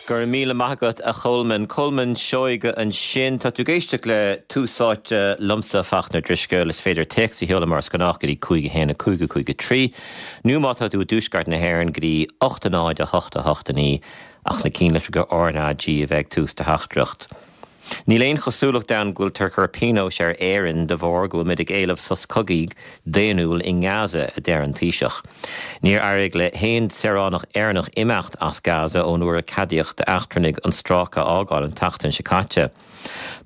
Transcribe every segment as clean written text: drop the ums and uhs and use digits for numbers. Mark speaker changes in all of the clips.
Speaker 1: Go raibh míle maith agat, a Cholmáin. Colmán Seoige ansin. Tá tú ag éisteacht le Tús Áite liomsa, Fachtna Drisceoil. Is féidir téacs a sheoladh mar is gnách go dtí 5 1 5 5 3 nó má tá tú i dtuaisceart na hÉireann go dtí 8 0 8 8 9 ach na cinnlitreacha RnaG a bheith ag tús do theachtaireacht. Níl aon chosúlacht ann go bhfuiltear ag cur pionóis ar Éirinn de bharr go bhfuil muid ag éileamh sos cogaidh daonnúil i nGaza, a deir an Taoiseach. Níor éirigh le haon saoránach Éireannach imeacht as Gaza ón uair a ceadaíodh d'eachtrannaigh an stráice a fhágáil an tseachtain seo caite.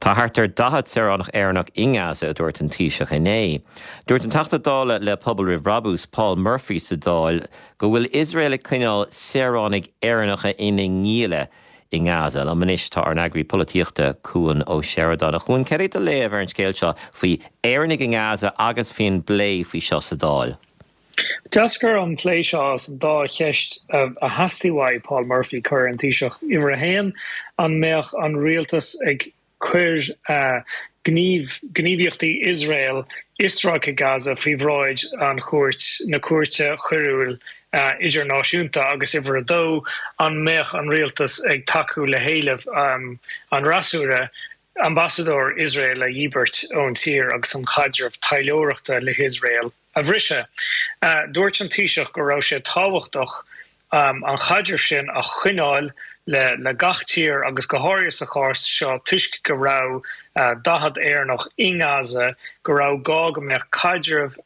Speaker 1: Tá thart ar 40 saoránach Éireannach i nGaza, a dúirt an Taoiseach inné. Dúirt an Teachta Dála le Pobal Roimh Brabús, Paul Murphy sa Dáil go bhfuil Iosrael ag coinneáil saoránaigh Éireannacha ina ngialla i nGaza. Liom anois tá ár n-eagraí polaitíochta, Cuan Ó Seireadáin. A Chuain, céard é do léamh ar an scéal seo faoi Éireannaigh i nGaza agus faoin bplé faoi seo sa Dáil?
Speaker 2: D'eascair an plé seo as an dá cheist a theastaigh uaidh Paul Murphy cur ar an Taoiseach. Uimhir a haon, an mbeadh an rialtas ag cuir gníomh, gníomhaíochtaí Iosrael i Stráice Gaza faoi bhráid an chúirt, na Cúirte Choiriúil Idirnáisiúnta agus uimhir a dó, an mbeadh an rialtas ag tacú le héileamh an fhreasúra ambasadóir Iosrael a dhíbirt ón tír agus an chaidreamh taidhleoireachta le hIosrael a bhriseadh. Dúirt an Taoiseach go raibh sé tábhachtach an chaidreamh sin a choinneáil le gach tír agus go háirithe sa chás seo toisc go raibh 40 Éireannach i nGaza, go raibh gá go mbeadh caidreamh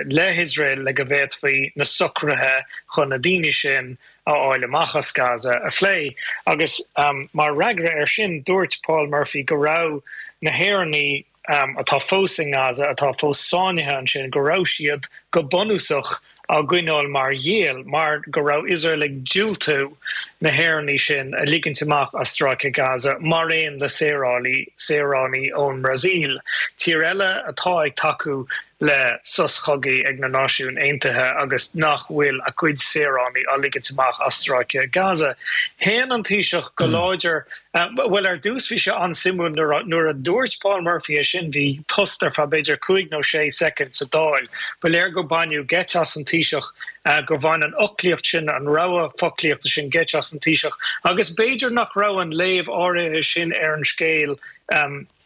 Speaker 2: le hIosrael le go bhféadfaí na socruithe chun na daoine sin a fháil amach as Gaza a phlé. Agus mar fhreagra air sin dúirt Paul Murphy go raibh na hÉireannaigh, atá fós i nGaza, atá fós sáinnithe ansin, go raibh siad go bunúsach á gcoinneáil mar ghiall, mar go raibh Iosrael ag diúltú na hÉireannaigh sin a ligint amach as Stráice Gaza, mar aon le saorálaí, saoránaigh ón mBrasaíl, tír eile atá ag tacú le sos chogaidh ag na Náisiúin Aontaithe agus nach bhfuil a gcuid saoránaigh á ligint amach as Stráice Gaza. Shéan an Taoiseach go láidir, bhuel ar dtús bhí sé an-suimiúil nuair a dúirt Paul Murphy é sin bhí tost ar feadh b'fhéidir cúig nó sé soicind sa Dáil. Ba léir gur baineadh geit as an Taoiseach, gur bhain an fhoclaíocht sin, an rogha foclaíochta sin geit as an Taoiseach agus b'fhéidir nach raibh an léamh áirithe sin ar an scéal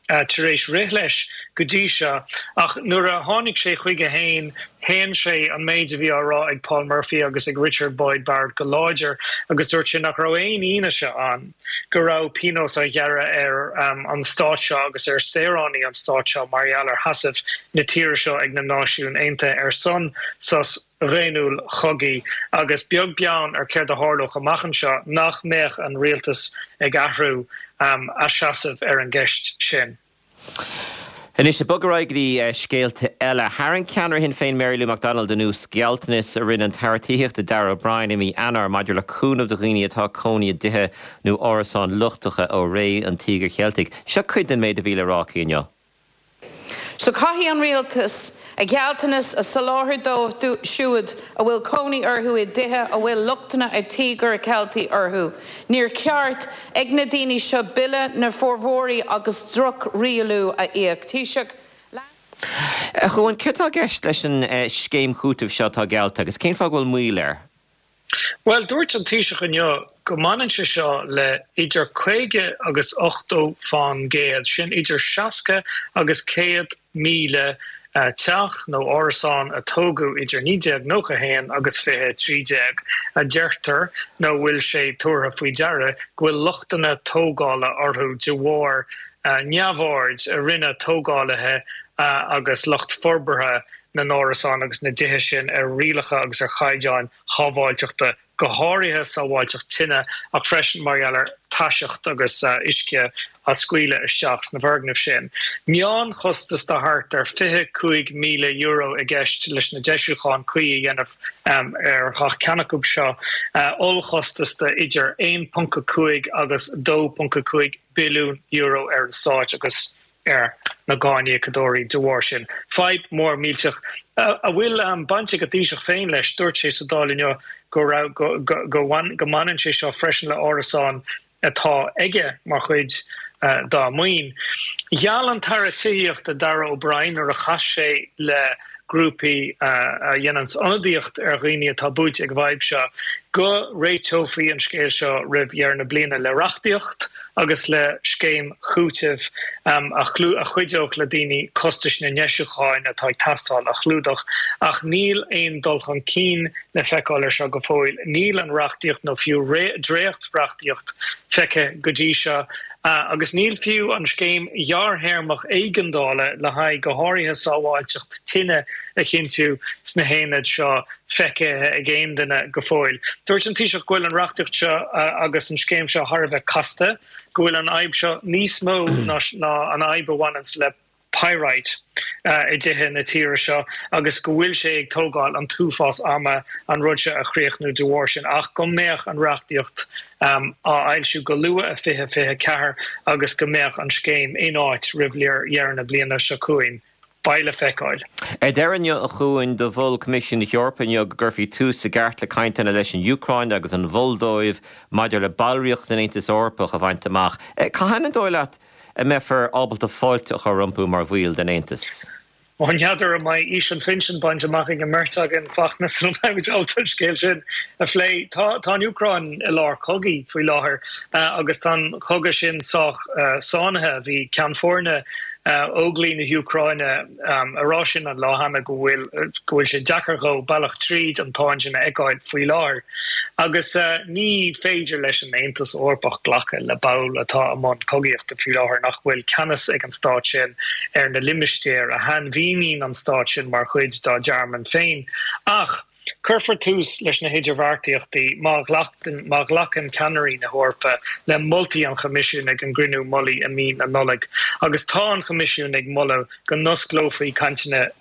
Speaker 2: tar éis rith leis go dtí seo, ach nuair a tháinig sé chuige féin, shéan sé an méid a bhí á rá ag Paul Murphy agus ag Richard Boyd Barrett go láidir agus dúirt sé nach raibh aon fhianaise ann go raibh pionós á ghearradh ar an stát seo agus ar saoránaigh an stáit seo mar gheall ar sheasamh na tíre seo ag na Náisiúin Aontaithe ar son sos dhaonnúil chogaidh agus beag beann ar céard a tharlódh amach anseo, nach mbeadh an rialtas ag athrú a seasamh ar an gceist sin.
Speaker 1: Anois, ag bogadh ar aghaidh go dtí scéalta eile. Tharraing ceannaire Shinn Féin Mary Lou McDonald anuas gealltanas a rinne an tAire Tithíochta Darragh O'Brien i mí Eanáir maidir le cúnamh do dhaoine atá ag cónaí i dtithe nó árasáin lochtacha ó ré an Tíogair Cheiltigh. Seo cuid den méid a bhí le rá aici inniu.
Speaker 3: So caithfidh an Rialtas a ghealltanas a soláthar dóibh siúd a bhfuil cónaí orthu i dtithe a bhfuil lochtanna an Tíogair Cheiltigh orthu. Níor cheart ag na daoine seo bille na bhforbróirí agus droch-rialú a íoc. Taoiseach, lean.
Speaker 1: A Chuain, céard atá i gceist leis an scéim chúitimh seo atá geallta agus cén fáth go bhfuil moill air?
Speaker 2: Bhuel, dúirt an Taoiseach inniu go mbaineann sé seo le idir 50 agus 80 fán gcéad, sin idir 60 agus 100,000 teach nó árasán a tógadh idir 1991 agus 2013, a deirtear nó bhfuil sé tabhartha faoi deara go bhfuil lochtanna tógála orthu de bharr neamhaird a rinne tógálaithe agus lucht forbartha na n-árasán agus na dtithe sin ar rialacha agus ar chaighdeáin shábháilteachta, go háirithe sábháilteacht tine, ach freisin mar gheall ar taiseacht agus uisce á scaoileadh isteach sna foirgnimh sin. Meánchostas de thart ar €25,000 i gceist leis na deisiúcháin cuí a dhéanamh ar gach ceann acu seo, ollchostas de idir 1.5 agus 2.5 billiún euro ar an stát agus ar na cáiníocadóirí de bharr sin. Fadhb mhór mhillteach a bhfuil baint ag an Taoiseach féin leis. Dúirt sé sa Dáil inniu go raibh go go mbaineann sé seo freisin le árasáin atá aige mar chuid dá maoin. Gheall an tAire Tithíochta Darragh O'Brien nuair a chas sé le grúpaí a dhéananns ionadaíocht ar dhaoine atá buailte ag an bhfadhb seo. go réiteofaí an scéal seo roimh dheireadh na bliana le reachtaíocht agus le scéim chúitimh a chuideodh le daoine costais na ndeisiúcháin atá ag teastáil a chlúdach. Ach níl aon dul chun cinn le feiceáil ar seo go fóill. Níl an reachtaíocht nó fiú dréacht-reachtaíocht feicthe go dtí seo. Agus níl fiú an scéim ghearrthéarmach éigeandála le haghaidh go háirithe sábháilteacht tine a chinntiú sna haonaid seo feicthe ag aon duine go fóill. Dúirt an Taoiseach go bhfuil an reachtaíocht seo agus an scéim seo thar a bheith casta, go bhfuil an fhadhb seo níos mó ná an fhadhb a bhaineanns le pyrite i dtithe na tíre seo agus go bhfuil sé ag tógáil an t-uafás ama an rud seo a chríochnú de bharr sin ach go mbeadh an reachtaíocht á fhoilsiú go luath i 2024 agus go mbeadh an scéim in áit roimh dheireadh na bliana seo chugainn. Beidh le feiceáil.
Speaker 1: Ar deireadh inniu a Chuain, do mhol Coimisiún na hEorpa inniu go gcuirfí tús i gceart le cainteanna leis an Úcráin agus an Mholdóiv maidir le ballraíocht san Aontas Eorpach a bhaint amach. Cathain an dóigh leat a mbeifear ábalta fáilte a chur rompu mar bhaill den Aontas?
Speaker 2: Ó, n'fheadar an mbeidh aois an phinsin bainte amach ag an mbeirt againn, Fachtna, sula mbeimid ábalta an scéal sin a phlé. Tá tá an Úcráin i lár cogaidh faoi láthair agus tá an cogadh sin sách sáinnithe. Bhí Ceann Foirne Óglaigh na hÚcráine ag rá sin an lá cheana go bhfuil go bhfuil sé deacair dhó bealach tríd an tsáinn sin a fheiceáil faoi láthair. Agus ní féidir leis an Aontas Eorpach glacadh le ball atá i mbun cogaíochta faoi láthair nach bhfuil ceannas ag an stát sin ar na limistéir a shainmhíníonn an stát sin mar chuid dá dtearmann féin. Ach cuirfear tús leis na hidirbheartaíochtaí má má ghlacann ceannairí na hEorpa le moltaí an Choimisiúin ag an gcruinniú mullaigh i mí na Nollag. Agus tá an Coimisiún ag moladh go n-osclófaí cainteanna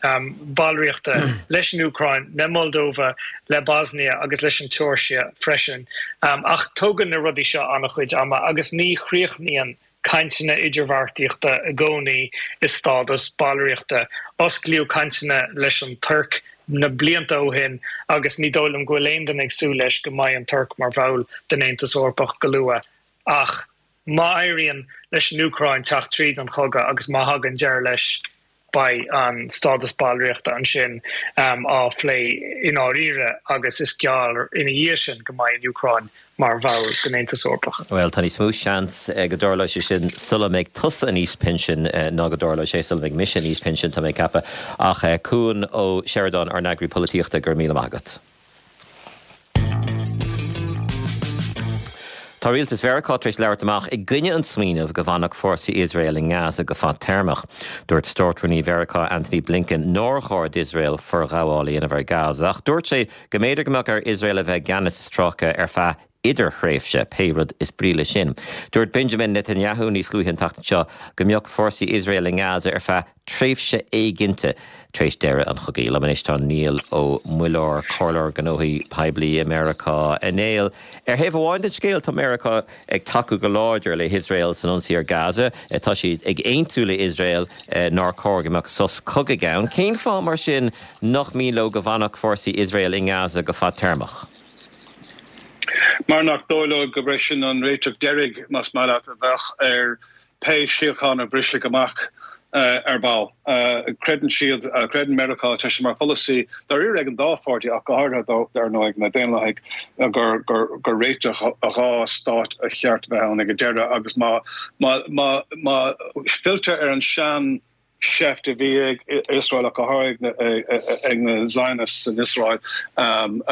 Speaker 2: ballraíochta leis an Úcráin, le Moldóva, le Bosnia agus leis an tSeoirsia freisin. Ach tógann na rudaí seo an-chuid ama agus ní chríochnaíonn cainteanna idirbheartaíochta i gcónaí i stádas ballraíochta. Osclaíodh cainteanna leis an Tuirc na blianta ó shin agus ní dóigh liom go bhfuil aon duine ag súil leis go mbeidh an Tuirc mar bhall den Aontas Eorpach go luath. Ach má éiríonn leis an Úcráin teacht tríd an chogadh agus má thagann deireadh leis, beidh an stádas ballraíochta ansin á phlé i ndáiríre agus is gearr ina dhiaidh sin go mbeidh an Úcráin mar bhall den Aontas Eorpach.
Speaker 1: Bhuel, tá níos mó seans go dtarlóidh sé sin sula mbeidh tusa in aois pinsin ná go dtarlóidh sé sula mbeidh mise in aois pinsin, tá mé ag ceapadh. Ach Cuan Ó Seireadáin, ár n-eagraí polaitíochta, go raibh míle maith agat. Tá rialtas Mheiriceá tar éis labhairt amach i gcoinne an smaoineamh go bhfanfadh fórsaí Iosrael i nGaza go fadtéarmach. Dúirt Státrúnaí Mheiriceá Antony Blinken nár chóir d'Iosrael forghabháil a dhéanamh ar Gaza ach dúirt sé go mb'fhéidir go mbeadh ar Iosrael a bheith i gceannas sa stráice ar feadh idirthréimhse, pé rud is brí leis sin. Dúirt Benjamin Netanyahu níos luaithe an tseachtain seo go mbeadh fórsaí Iosrael i nGaza ar feadh tréimhse éiginnte tar éis deireadh an chogaidh. Liom anois tá Niall Ó Muilleoir, Comhairleoir Gnóthaí Poiblí i Meiriceá. A Néill, ar thaobh amháin den scéal tá Meiriceá ag tacú go láidir le hIosrael san ionsaí ar Gaza. Tá siad ag aontú le hIosrael nár chóir go mbeadh sos cogaidh ann. Cén fáth mar sin nach mian leo go bhfanfadh fórsaí Iosrael i nGaza go fadtéarmach?
Speaker 4: Mar nach dóigh leo gurb é sin an réiteach deiridh, más maith leat, a bheadh ar pé síocháin a bhrisfeadh amach ar ball. Creideann siad, creideann Meiriceá, tá sé mar pholasaí dáiríre ag an dá pháirtí ach go háirithe dar ndóigh ag na Daonlathaigh, gur gur réiteach dhá stát a cheart a bheith ann ag an deireadh agus má má má má filltear ar an sean seift a bhí ag Iosrael ach go háirithe ag na Zionists in Iosrael an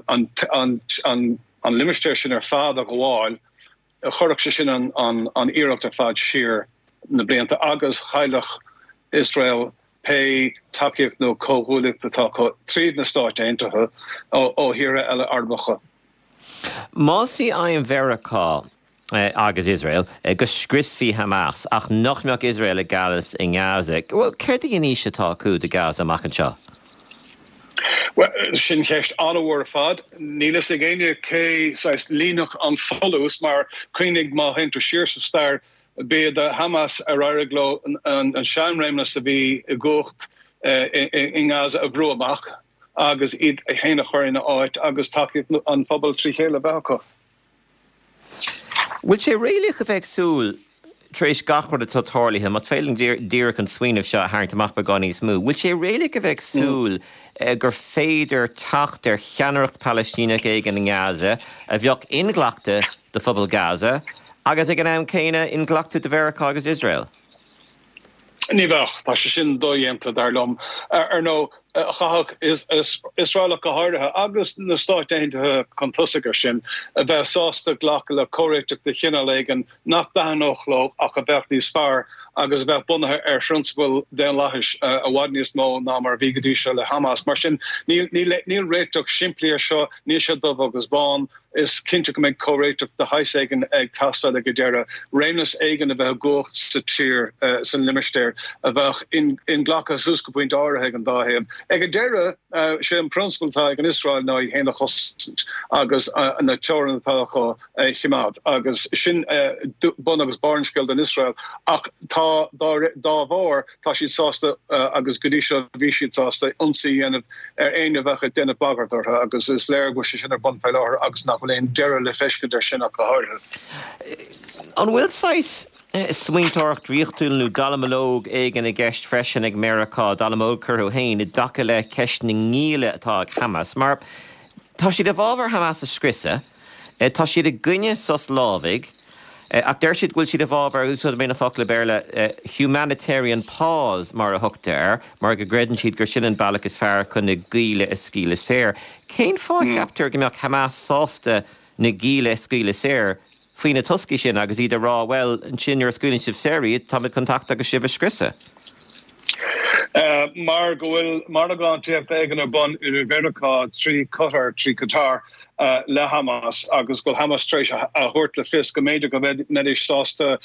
Speaker 4: an an an limistéar sin ar fad a ghabháil Chuirfeadh sé sin an iarracht ar fad siar na blianta agus chaillfeadh Iosrael pé tacaíocht nó comhghuaillíocht atá acu tríd na Stáit Aontaithe ó thíortha eile Arabacha.
Speaker 1: Más í aidhm Mheiriceá agus Iosrael go scriosfaí Hamas ach nach mbeadh Iosrael i gceannas i nGaza, bhuel, céard í an fhís atá acu do Gaza amach anseo?
Speaker 4: Bhuel, sin ceist an-mhór ar fad. Níl fhios ag éinne cé saghas líonfadh an folús mar cuimhnigh má théann tú siar sa stair, b'iad Hamas ar éirigh leo an seanréimeas a bhí i gcumhacht i nGaza a bhrú amach agus iad féin a chur ina áit agus tacaíocht an phobail trí chéile a bheith acu.
Speaker 1: Bhfuil sé réalaíoch a bheith ag súil? tar éis gach rud atá tarlaithe, más féidir linn díreach an smaoineamh seo a tharraingt amach beagán níos mó, bhfuil sé réalaíoch a bheith ag súil gur féidir teacht ar cheannaireacht Palaistíneach éigin i nGaza a bheadh inghlactha do phobal Gaza agus ag an am céanna inghlactha do Mheiriceá agus Iosrael?
Speaker 4: Ní bheadh. Tá sé sin dodhéanta, dar liom. Ar ndóigh, chaithfeadh Iosrael ach go háirithe, agus na Stáit Aontaithe chun tosaigh air sin, a bheith sásta glacadh le comhréiteach de chineál éigin nach dtaitneodh leo ach a bheadh níos fearr agus a bheadh bunaithe ar phrionsabail daonlathais i bhfad níos mó ná mar a bhí go dtí seo le Hamas. Mar sin, níl réiteach simplí air seo, níl sé dubh agus bán. Is cinnte go mbeidh comhréiteach de shaghas éigin ag teastáil ag an deireadh, réimeas éigin a bheith i gcumhacht sa tír, san limistéar, a bheadh inghlactha suas go pointe áirithe ag an dá thaobh. Ag an deireadh, sé an prionsabal atá ag an Iosrael ná iad féin a chosaint agus na teorainn atá acu a choimeád agus sin bun agus barr an scéil don Iosrael ach tá, dá bharr, Tá siad sásta, agus go dtí seo bhí siad sásta, ionsaí a dhéanamh ar éinne a bheadh ag déanamh bagairt orthu agus is léir go bhfuil sé sin ar bun fé láthair agus nach bhfuil aon deireadh le feiscint air sin ach go háirithe.
Speaker 1: An bhfuil saghas smaointeoireacht draíochtúil nó dallamullóg éigin i gceist freisin ag Meiriceá, dallamullóg orthu féin, i dtaca le ceist na ngialla atá ag Hamas? Mar tá siad i bhfabhar Hamas a scriosadh, tá siad i gcoinne sos lámhaigh, Ach deir siad go bhfuil siad i bhfabhar, úsáidfidh mé na focla Béarla, humanitarian pause mar a thugtar air, mar go gcreideann siad gur sin an bealach is fearr chun na gialla a scaoileadh saor. Cén fáth a cheaptar go mbeadh Hamas sásta na gialla a scaoileadh saor faoi na toscaí sin agus iad ag rá, bhuel, ansin nuair a scaoileann sibh saor iad, táimid chun teacht agus sibh a scriosadh?
Speaker 4: Mar go bhfuil margántaíocht éigin ar bun idir Mheiriceá trí Qatar, trí Qatar, le Hamas agus go bhfuil Hamas tar éis a thabhairt le fios go mb'fhéidir go mbeidís sásta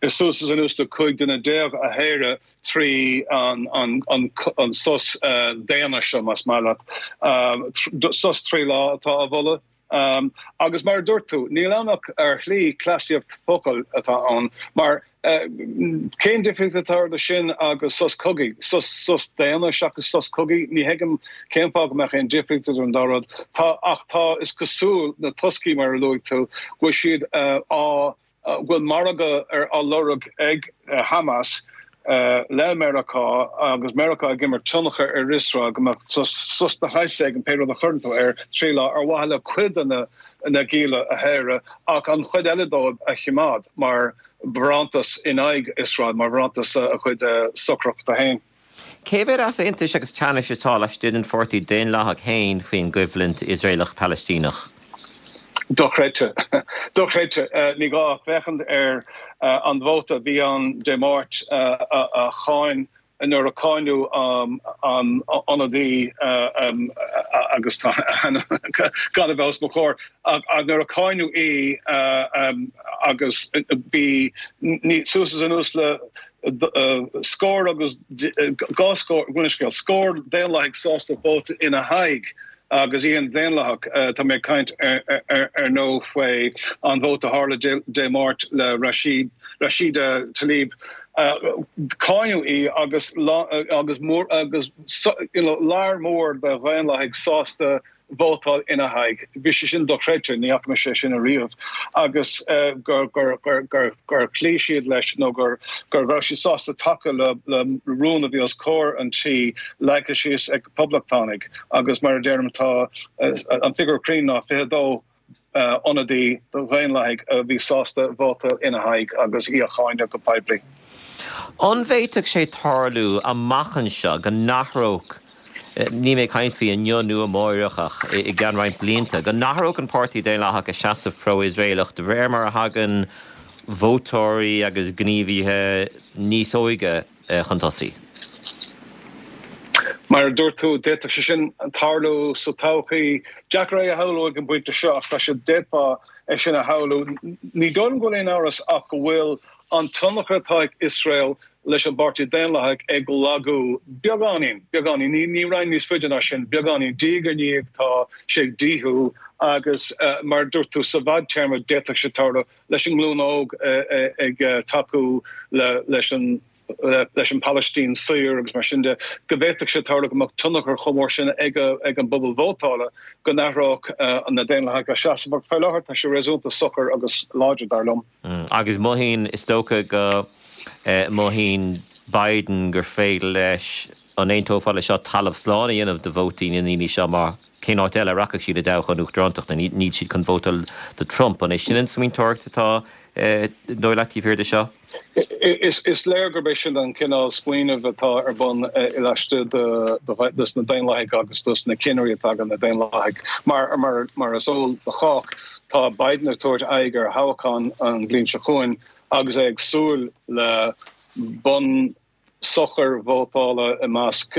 Speaker 4: suas is anuas le 15 duine a shaoradh trí an sos daonna seo, más maith leat. Sos 3 lá atá á mholadh. Agus mar a dúirt tú, níl ann ach ar shlí cleasaíocht focal atá ann, mar cén difríocht atá idir sin agus sos cogaidh? Sos, sos daonna seachas sos cogaidh? Ní thuigim cén fáth go mbeadh aon difríocht idir an dá rud. Tá, ach tá, is cosúil, na toscaí mar a luaigh tú, go bhfuil siad á go bhfuil margadh á lorg ag Hamas le Meiriceá agus Meiriceá ag imirt tionchar ar Iosrael go mbeadh sos de shaghas éigin, pé rud a chuireann tú air, 3 lá, ar mhaithe le cuid de na gialla a shaoradh ach an chuid eile dóibh a choimeád mar bharántas in aghaidh Iosrael, mar bharántas a chuid socrachta féin.
Speaker 1: Cé mhéad easaontais agus teannais atá laistigh den Pháirtí Daonlathach féin faoin gcoimhlint Iosraelach-Palaistíneach?
Speaker 4: Dochreidte. Dochreidte. Ní gá ach féachaint ar an vóta a bhí ann Dé Máirt a cháin, nuair a cáineadh an ionadaí agus tá a hainm gan a bheith os mo chomhair, ach nuair a cáineadh í agus bhí suas is anuas le scór agus dhá scór, gabh mo leithscéal, scór Daonlathaigh sásta vóta ina haghaidh agus í ina Daonlathach. Tá mé ag caint ar ndóigh faoi an vóta a tharla Dé Máirt le Rashida Tlaib. Cáineadh í agus agus agus you know lear mór de Dhaonlathaigh sásta vótáil ina haghaidh. Bhí sé sin dochreidte, ní fhaca mise é sin ariamh. Agus gur chloígh siad leis nó gur go raibh siad sásta tacú le rún a bhí os comhair an tí leagtha síos ag poblachtánaigh agus mar a deirim tá an figiúr cruinn ná 22 ionadaí do Dhaonlathaigh a bhí sásta vótáil ina haghaidh agus í a cháineadh go poiblí.
Speaker 1: An bhféadfadh sé tarlú amach anseo go n-athródh, níl mé ag caint faoi inniu nó amáireach ach i gceann roinnt blianta, go n-athródh an Páirtí Daonlathach a seasamh pro-Iosraelach de réir mar a thagann vótóirí agus gníomhaithe níos óige chun tosaigh.
Speaker 4: Mar a dúirt tú, d'fhéadfadh sé sin tarlú sa todhchaí. Deacair é a shamhlú ag an bpointe seo ach tá sé, d'fhéadfá é sin a shamhlú. Ní dóigh liom go bhfuil aon amhras ach go bhfuil an tionchar atá ag Iosrael leis an bPáirtí Daonlathach ag lagú beagáinín, beagáinín, ní raghainn níos faide ná sin, beagáinín, diaidh ar ndiaidh tá sé ag díothú agus mar a dúirt tú, sa bhfadtéarma d'fhéadfadh sé tarlú leis an nglúin óg ag tacú leis an. leis an Phalaistín saor agus mar sin de, go bhféadfadh sé tarlú go mbeadh tionchar chomh mór sin ag an bpobal vótála go n-athródh na Daonlathaigh a seasamh. Ach faoi láthair tá sé réasúnta socair agus láidir, dar liom.
Speaker 1: Agus mothaíonn, is dócha go mothaíonn Biden gur féidir leis, an aontófá leis seo, talamh slán a dhéanamh de vótaí na ndaoine seo mar cén áit eile a rachadh siad i dtoghchán uachtarántachta? Níl siad chun vótáil do Trump. An é sin an smaointeoireacht atá, an dóigh leat, taobh thiar de seo?
Speaker 4: Is léir gurb é sin an cineál smaoinimh atá ar bun laistigh de na Daonlathaigh agus de na cinnirí atá ag na Daonlathaigh. Mar is eol do chách, tá Biden ag tabhairt aghaidh ar thoghchán an bhliain seo chugainn agus é ag súil le bonn socair vótála i measc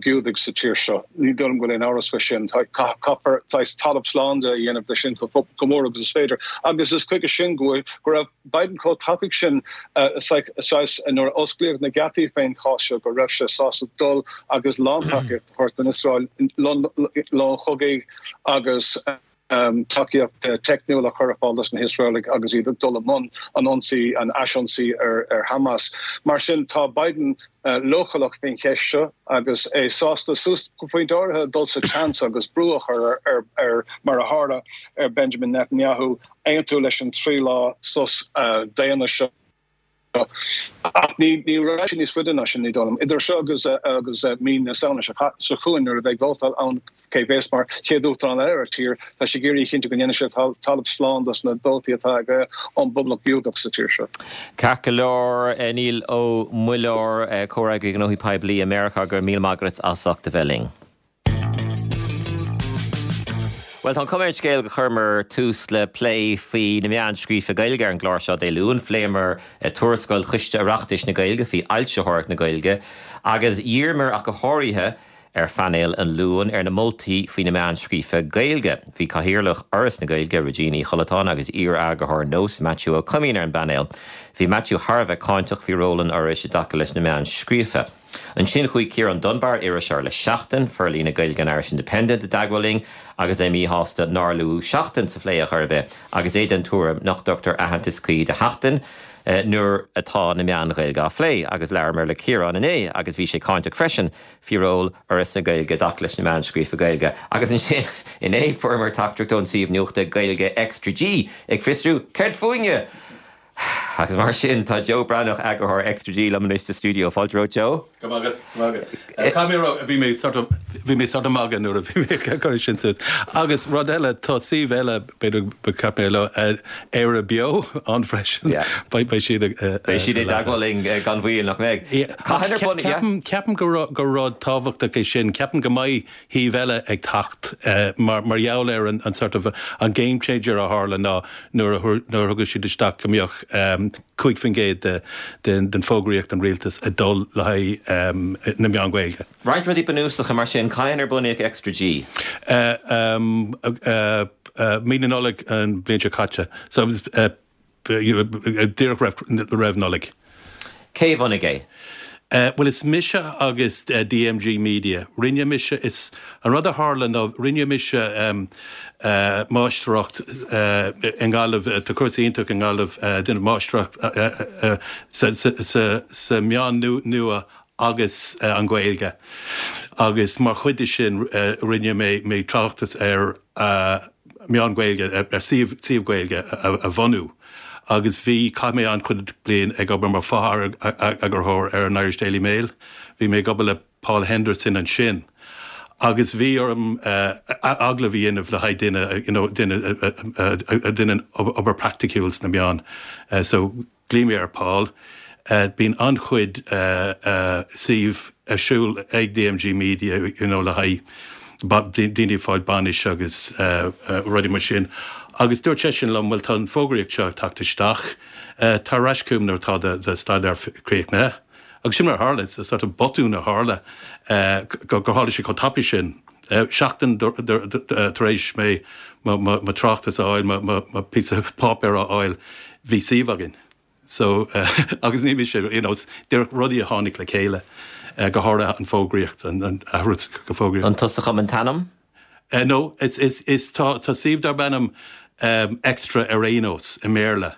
Speaker 4: Giúdaigh sa tír seo. Ní dóigh liom go bhfuil aon amhras faoi sin. Caithfear saghas talamh slán de a dhéanamh de sin chomh mór agus is féidir. Agus is chuige sin go raibh Biden chomh tapaidh sin saghas nuair a osclaíodh na geataí fén chás seo go raibh sé sásta dul agus lántacaíocht a thabhairt don Iosrael, long chogaidh agus tacaíocht teicniúil a chur ar fáil dos na hIosraelaigh agus iad ag dul i mbun an ionsaí, an ais-ionsaí ar Hamas. Mar sin, tá Biden leochaileach faoin cheist seo agus é sásta, suas go pointe áirithe, dul sa tseans agus brú a chur ar, mar a tharla, ar Benjamin Netanyahu aontú leis an 3 lá sos daonna seo. Ach ní rachaidh sé níos faide ná sin, ní dóigh liom. Idir seo agus agus mí na Samhna seo chugainn, nuair a bheidh vótáil ann cé bhéas mar chéad uachtarán eile ar an tír, tá sé ag iarraidh a chinntiú go ndéanfaidh sé talamh slán dos na vótaí atá aige ón bpoblacht Ghiúdach sa tír seo.
Speaker 1: Ceart go leor, Niall Ó Muilleoir, Comhfhreagraí Gnóthaí Poiblí i Meiriceá, go raibh míle maith agat as ucht a bheith linn. Bhuel, tá an chuma ar an scéal gur chuireamar tús le plé faoi na meáin scríofa Gaeilge ar an gclár seo Dé Luain. Phléamar tuarascáil Choiste Oireachtais na Gaeilge faoi fhoilsitheoireacht na Gaeilge agus dhíríomar ach go háirithe ar phainéal an Luain ar na moltaí faoi na meáin scríofa Gaeilge. Bhí Cathaoirleach Fhoras na Gaeilge, Regina Uí Chollatáin agus iar-eagarthóir Nós, Maitiú Ó Coimín ar an bpainéal. Bhí Maitiú thar a bheith cáinteach faoi ról an Fhorais i dtaca leis na meáin scríofa. Ansin chuaigh Ciarán Dunbar, iriseoir le Seachtain, forlíonadh Gaeilge an Irish Independent, i dteagmháil linn agus é míshásta nár luadh Seachtain sa phlé ar chor ar bith agus é den tuairim nach dtugtar aitheantas cuí do Sheachtain nuair atá na meáin Ghaeilge á phlé. Agus labhramar le Ciarán inné agus bhí sé cáinteach freisin faoi ról Fhoras na Gaeilge i dtaca leis na meáin scríofa Gaeilge. Agus ansin inné fuaireamar teachtaireacht ón suíomh nuachta Gaeilge Extra G ag fiosrú céard fúinne? Agus mar sin, tá Joe Breathnach, eagarthóir Extra G, liom anois sa stiúideo. Fáilte romhat, Joe.
Speaker 5: Go raibh maith agat, go raibh maith agat. Caithfidh mé a rá, bhí mé sort of, bhí mé sort of magadh nuair a bhí mé ag cur sin suas. Agus rud eile, tá suíomh eile, b'fhéidir ba cheart mé a lua, Éire Beo ann freisin.
Speaker 1: Yeah.
Speaker 5: Beidh, beidh siad
Speaker 1: ag. Beidh siad i dteagmháil linn gan mhoill, nach mbeidh?
Speaker 5: Yeah.
Speaker 1: Cathain ar bun, yeah.
Speaker 5: Ceapaim, ceapaim gur, gur rud tábhachtach é sin. Ceapaim go mbeidh shuímh eile ag teacht mar mar gheall ar an sort of an game changer a tharla ná nuair a nuair a thug siad isteach go mbeadh 5% de den fógraíocht an rialtas ag dul le haghaidh na meán Gaeilge.
Speaker 1: Roinnt rudaí bunúsacha mar sin, cathain ar bunaíodh Extra G?
Speaker 5: Mí na Nollag an bhliain seo caite. So díreach roimh Nollaig.
Speaker 1: Cé a bhunaigh é?
Speaker 5: Bhuel, is mise agus DMG Media. Rinne mise, is, an rud a tharla ná rinne mise máistreacht i nGaillimh, tá cúrsa iontach i nGaillimh, déanamh máistreacht sa meán nua agus an Ghaeilge agus mar chuid de sin rinne mé tráchtas ar meán Gaeilge, ar suíomh Gaeilge a bhunú agus bhí, chaith mé an-chuid bliain ag obair mar fho-eagarthóir ar an Irish Daily Mail, bhí mé ag obair le Paul Henderson ansin agus bhí orm agallamh a dhéanamh le haghaidh duine, you know, duine a dhéanann obair praiticiúil sna meáin so Ghlaoigh mé ar Paul. Bíonn an-chuid suíomh ar siúl ag DMG Media you know le haghaidh daoine ag fáil bainis agus rudaí mar sin agus dúirt seisean liom bhuel tá an fógraíocht seo ag teacht isteach, tar ar ais chugam nuair atá do staidéar críochnaithe. Agus sin mar a tharla, it's a sort of botún a tharla gur tharla sé chomh tapaidh sin. Seachtain tar éis mé mo tráchtas a fháil, mo píosa páipéir a fháil, bhí suíomh againn. So, agus ní mise, you know, díreach rudaí a tháinig le chéile, go háirithe an fógraíocht, an athrú go fógraíocht.
Speaker 1: An tusa a chum an t-ainm?
Speaker 5: No, is, is, is, tá, tá suíomh darb ainm Extra ar aon nós i mBéarla.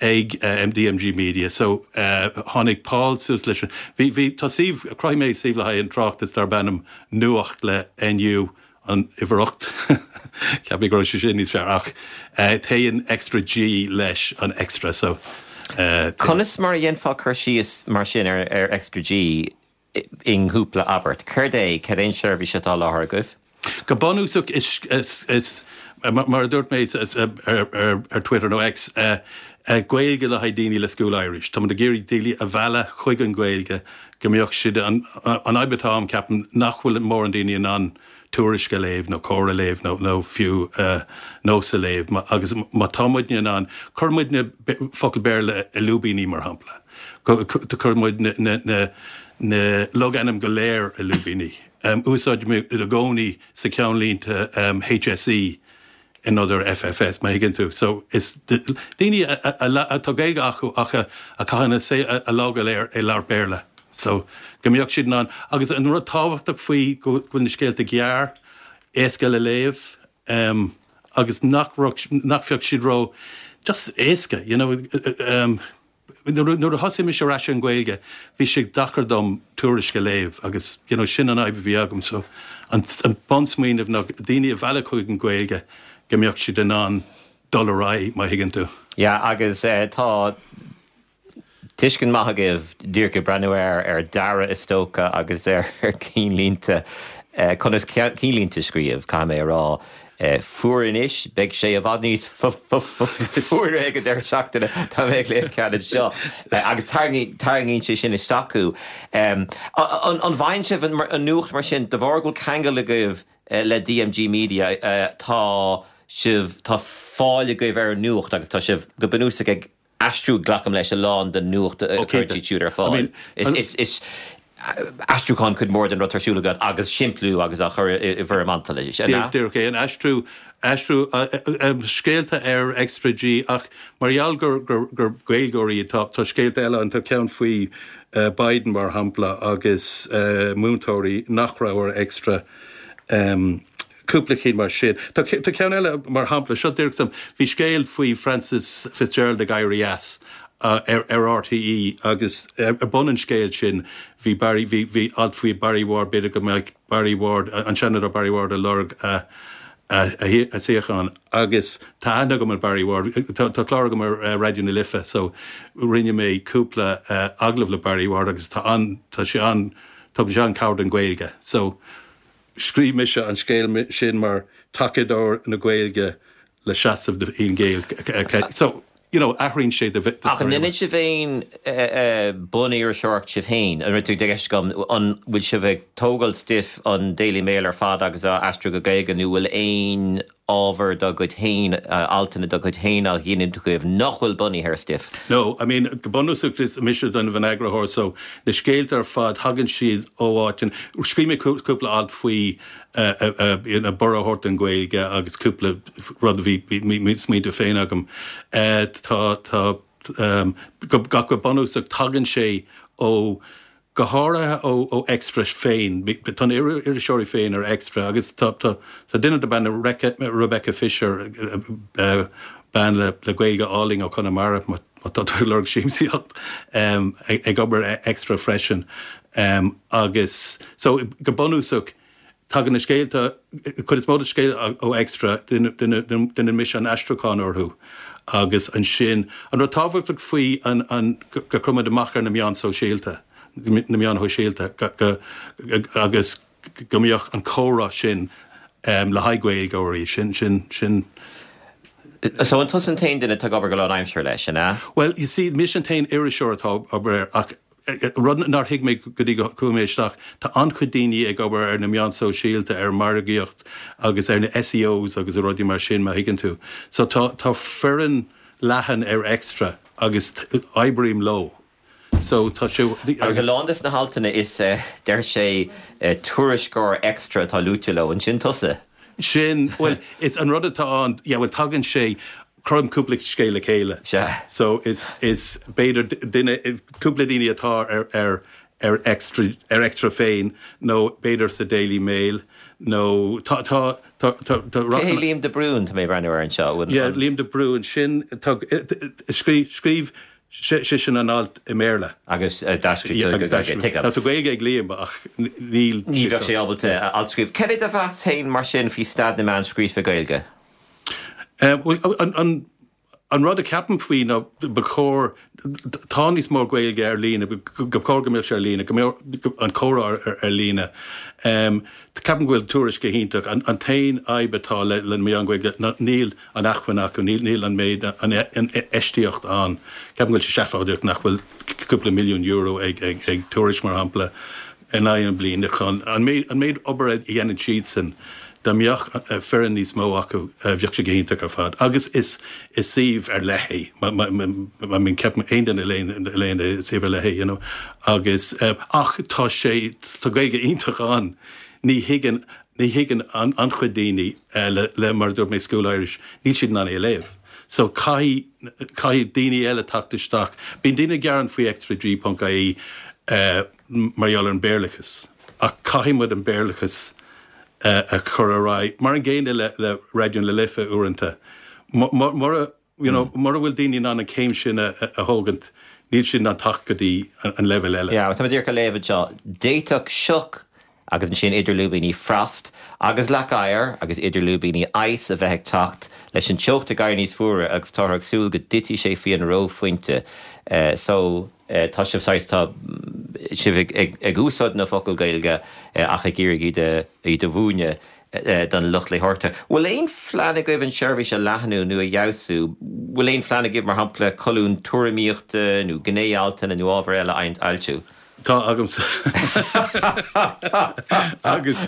Speaker 5: ag DMG Media so tháinig Paul suas leis an, bhí, bhí, tá suíomh, chruthaigh mé suíomh le haghaidh an tráchtas darb ainm Nuacht le NU an uimhir 8, cheap mé go raibh sé sin níos fearr ach téann Extra G leis an Extra so.
Speaker 1: Conas mar a dhéanfá cur síos mar sin ar Extra G i gcúpla abairt? Céard é, cad é an seirbhís atá á sholáthar agaibh?
Speaker 5: Go bunúsach is, mar a dúirt mé ar Twitter nó X, Gaeilge le haghaidh daoine le School Irish. Táimid ag iarraidh daoine a mhealladh chuig an Ghaeilge go mbeadh siad, an fhadhb atá ann ceapaim nach bhfuil mórán daoine in ann Tuairisc a léamh nó Comhar a léamh nó fiú Nós a léamh agus má tá muidne in ann, cuireann muidne focail Béarla i lúibíní mar shampla, cuireann muid na logainm go léir i lúibíní. Úsáidimid i gcónaí sa ceannlínte HSE in ionad FFS, má thuigeann tú. So is daoine atá Gaeilge acu ach a chaitheann a lá go léir ag labhairt Béarla. So go mbeadh siad in ann, agus an rud tábhachtach faoi go bhfuil na scéalta gearr, éasca le léamh agus nach nach bheadh siad ró just éasca, you know. Nuair a thosaigh mise ar ais ar an Ghaeilge bhí sé deacair dom Tuairisc a léamh agus you know sin an fhadhb a bhí agam so an bunsmaoineamh ná daoine a mhealladh chuig an Ghaeilge go mbeadh siad in ann dul ar aghaidh má thuigeann tú.
Speaker 1: Yeah agus tá tuiscint maith agaibh díreach ag breathnú ar ar dearadh is dócha agus ar cinnlínte conas cinnlínte a scríobh caithfidh mé a rá. Fuar anois, beidh sé i bhfad níos fuaire ag an deireadh seachtaine, tá mé ag léamh ceann anseo, agus tarraingíonn sé sin isteach thú. An bhfaigheann sibh an nuacht mar sin, de bharr go bhfuil ceangal agaibh le DMG Media, tá sibh, tá fáil agaibh ar an nuacht agus tá sibh go bunúsach ag aistriú, glacaim leis, a lán den nuacht a chuireann siad siúd ar fáil. Is aistriúchán cuid mhór den rud atá ar siúl agat agus simpliú agus á chur i bhfoirm alt, an
Speaker 5: ea? Díreach é, an aistriú, aistriú scéalta ar Extra G ach mar gheall gur gur Gaeilgeoirí atá, tá scéalta eile ann, tá ceann faoi Biden mar shampla agus múinteoirí nach raibh ar Extra. Cúpla cinn mar sin. Tá ceann eile mar shampla, seo díreach suim, bhí scéal faoi Frances Fitzgerald ag éirí as ar RTÉ agus ar bun an scéil sin bhí Barry, bhí, bhí alt faoi Barry Ward, b'fhéidir go mbeadh Barry Ward, an Seanadóir Barry Ward ag lorg a, a suíochán agus tá aithne agam ar Barry Ward, tá, tá clár agam ar Raidió na Life so rinne mé cúpla agallamh le Barry Ward agus tá an, tá sé an, tugann sé an-cabhair don Ghaeilge so. Scríobh mise an scéal sin mar tacadóir na Gaeilge le seasamh do Fhine Gael. So, you know, athraíonn sé de
Speaker 1: Ach an ndéanann sibh aon bun-iriseoireacht sibh féin? An rud atá i gceist agam, an bhfuil sibh ag tógáil stuif an Daily Mail ar fad agus á aistriú go Gaeilge nó bhfuil aon ábhar dá gcuid féin, altanna dá gcuid féin á ghiniúint agaibh nach bhfuil bunaithe ar stuif?
Speaker 5: No, I mean, go bunúsach is mise an eagarthóir so na scéalta ar fad tagann siad ó áiteanna, scríobh mé cúpla alt faoi you know borradh a thabhairt don Ghaeilge agus cúpla rud a bhí smaointe féin agam. Tá, tá, go go bunúsach tagann sé ó go háirithe ó Extra féin. Tá na iriseoirí féin ar Extra agus tá duine darb ainm Rebecca Fisher, bean le Gaeilge álainn ó Chonamara, má tá tú ag lorg siamsaíocht, ag obair ar Extra freisin. Agus so go bunúsach, Tagann na scéalta, cuid is mó de scéalta ó Extra, déanann mise an aistriúchán orthu agus ansin, an rud tábhachtach faoi an go gcuireann muid amach ar na meáin sóisialta, na meáin shóisialta agus go mbeadh an comhrá sin le haghaidh Gaeilgeoirí, sin, sin, sin.
Speaker 1: So an tusa an t-aon duine atá ag obair go lánaimseartha leis, an ea?
Speaker 5: Bhuel, you see, mise an t-aon iriseoir atá ag obair air ach Rud nár thuig mé go dtí go chuaigh mé isteach, tá an-chuid daoine ag obair ar na meáin sóisialta, ar an margaíocht agus ar na SEOs agus rudaí mar sin, má thuigeann tú. So tá, tá foireann leathan ar Extra agus oibrím leo. So tá
Speaker 1: sé, Agus a lán des na haltanna is, deir sé, tuairisceoir Extra atá luaite leo, an sin tusa?
Speaker 5: Sin, bhuel, is an rud atá ann, yeah, bhuel tagann sé, cuirim cúpla scéal le chéile.
Speaker 1: Sea.
Speaker 5: So is, is b'fhéidir duine, cúpla daoine atá ar, ar, ar Extra, ar Extra féin nó b'fhéidir sa Daily Mail nó tá, tá, Tá, tá, tá
Speaker 1: Cé hé Liam de Brún, tá mé ag breathnú air anseo?
Speaker 5: Yeah, Liam de Brún, sin, tá, scríobh, scríobh seisean an alt i mBéarla.
Speaker 1: Agus d'aistrigh tú go Gaeilge,
Speaker 5: tuigim. Tá Gaeilge ag Liam ach níl.
Speaker 1: Ní bheadh sé ábalta alt a scríobh. Cad é do mheas féin mar sin faoi staid na meán scríofa Gaeilge?
Speaker 5: Bhuel, an, An rud a cheapaim faoi ná ba chóir, tá níos mó Gaeilge ar líne, go chóir go mbeadh sé ar líne, go mbeadh an comhrá ar líne. Ceapaim go bhfuil Tuairisc go hiontach. An t-aon fhadhb atá le na meáin Ghaeilge ná níl an acmhainn acu, níl an méid, an infheistíocht ann. Ceapaim go bhfuil sé seafóideach nach bhfuil cúpla milliún euro ag Tuairisc, mar shampla. in aghaidh na bliana chun an méid obair a dhéanann siadsan, dá mbeadh foireann níos mó acu, bheadh sé go hiontach ar fad. Agus is suíomh ar leith é, I mean ceapaim aon duine a léann é, is suíomh ar leith é, you know. Agus, ach tá sé, tá Gaeilge iontach ann, ní thuigeann, ní thuigeann an-chuid daoine le, mar a dúirt mé, School Irish, níl siad in ann é a léamh. So caithfidh, caithfidh daoine eile teacht isteach. Bíonn daoine ag gearán faoi extraG ponc ie, mar gheall ar an Béarlachas, ach caithfidh muid an Béarlachas a chur ar aghaidh, mar an gcéanna le le Raidió na Life uaireanta. Mura you know mura bhfuil daoine in ann an chéim sin a thógaint, níl siad in ann teacht go dtí an leibhéal eile.
Speaker 1: Yeah, tá mé díreach ag léamh anseo, d'fhéadfadh sioc agus ansin idir lúibíní frost agus leac oighir agus idir lúibíní ice a bheith ag teacht leis an teocht ag éirí níos fuaire agus táthar ag súil go dtitfidh sé faoi an reophointe. So. Tá sibh saghas, tá sibh ag úsáid na focail Gaeilge ach ag iarraidh iad a, iad a mhúineadh don lucht léitheoireachta. Bhfuil aon phlean agaibh an seirbhís a leathnú nó a fheabhsú? Bhfuil aon phlean agaibh, mar shampla, colún tuairimíochta nó gné-altanna nó ábhar eile a fhoilsiú?
Speaker 5: Tá agamsa. Agus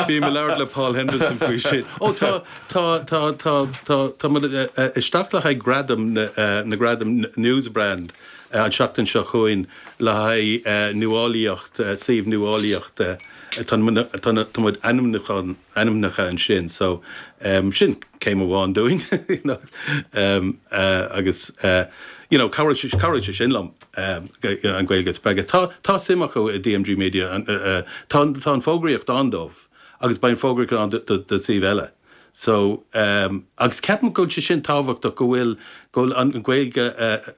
Speaker 5: bím ag labhairt le Paul Henderson faoi sin. Ó tá, tá, tá, tá, tá, tá muid isteach le haghaidh gradam na gradaim Newsbrand an seachtain seo chugainn le haghaidh nuálaíocht, suíomh nuálaíochta. Tá tá muid ainmniúchán, ainmnithe ansin so sin céim amháin dúinn you know agus you know cabhróidh sé, cabhróidh sé sin liom. an Ghaeilge a spreagadh. Tá tá suim acu i DMG Media, tá tá an fógraíocht ann dóibh agus beidh an fógraíocht ann do do suíomh eile. So agus ceapaim go bhfuil sé sin tábhachtach go bhfuil go bhfuil an Ghaeilge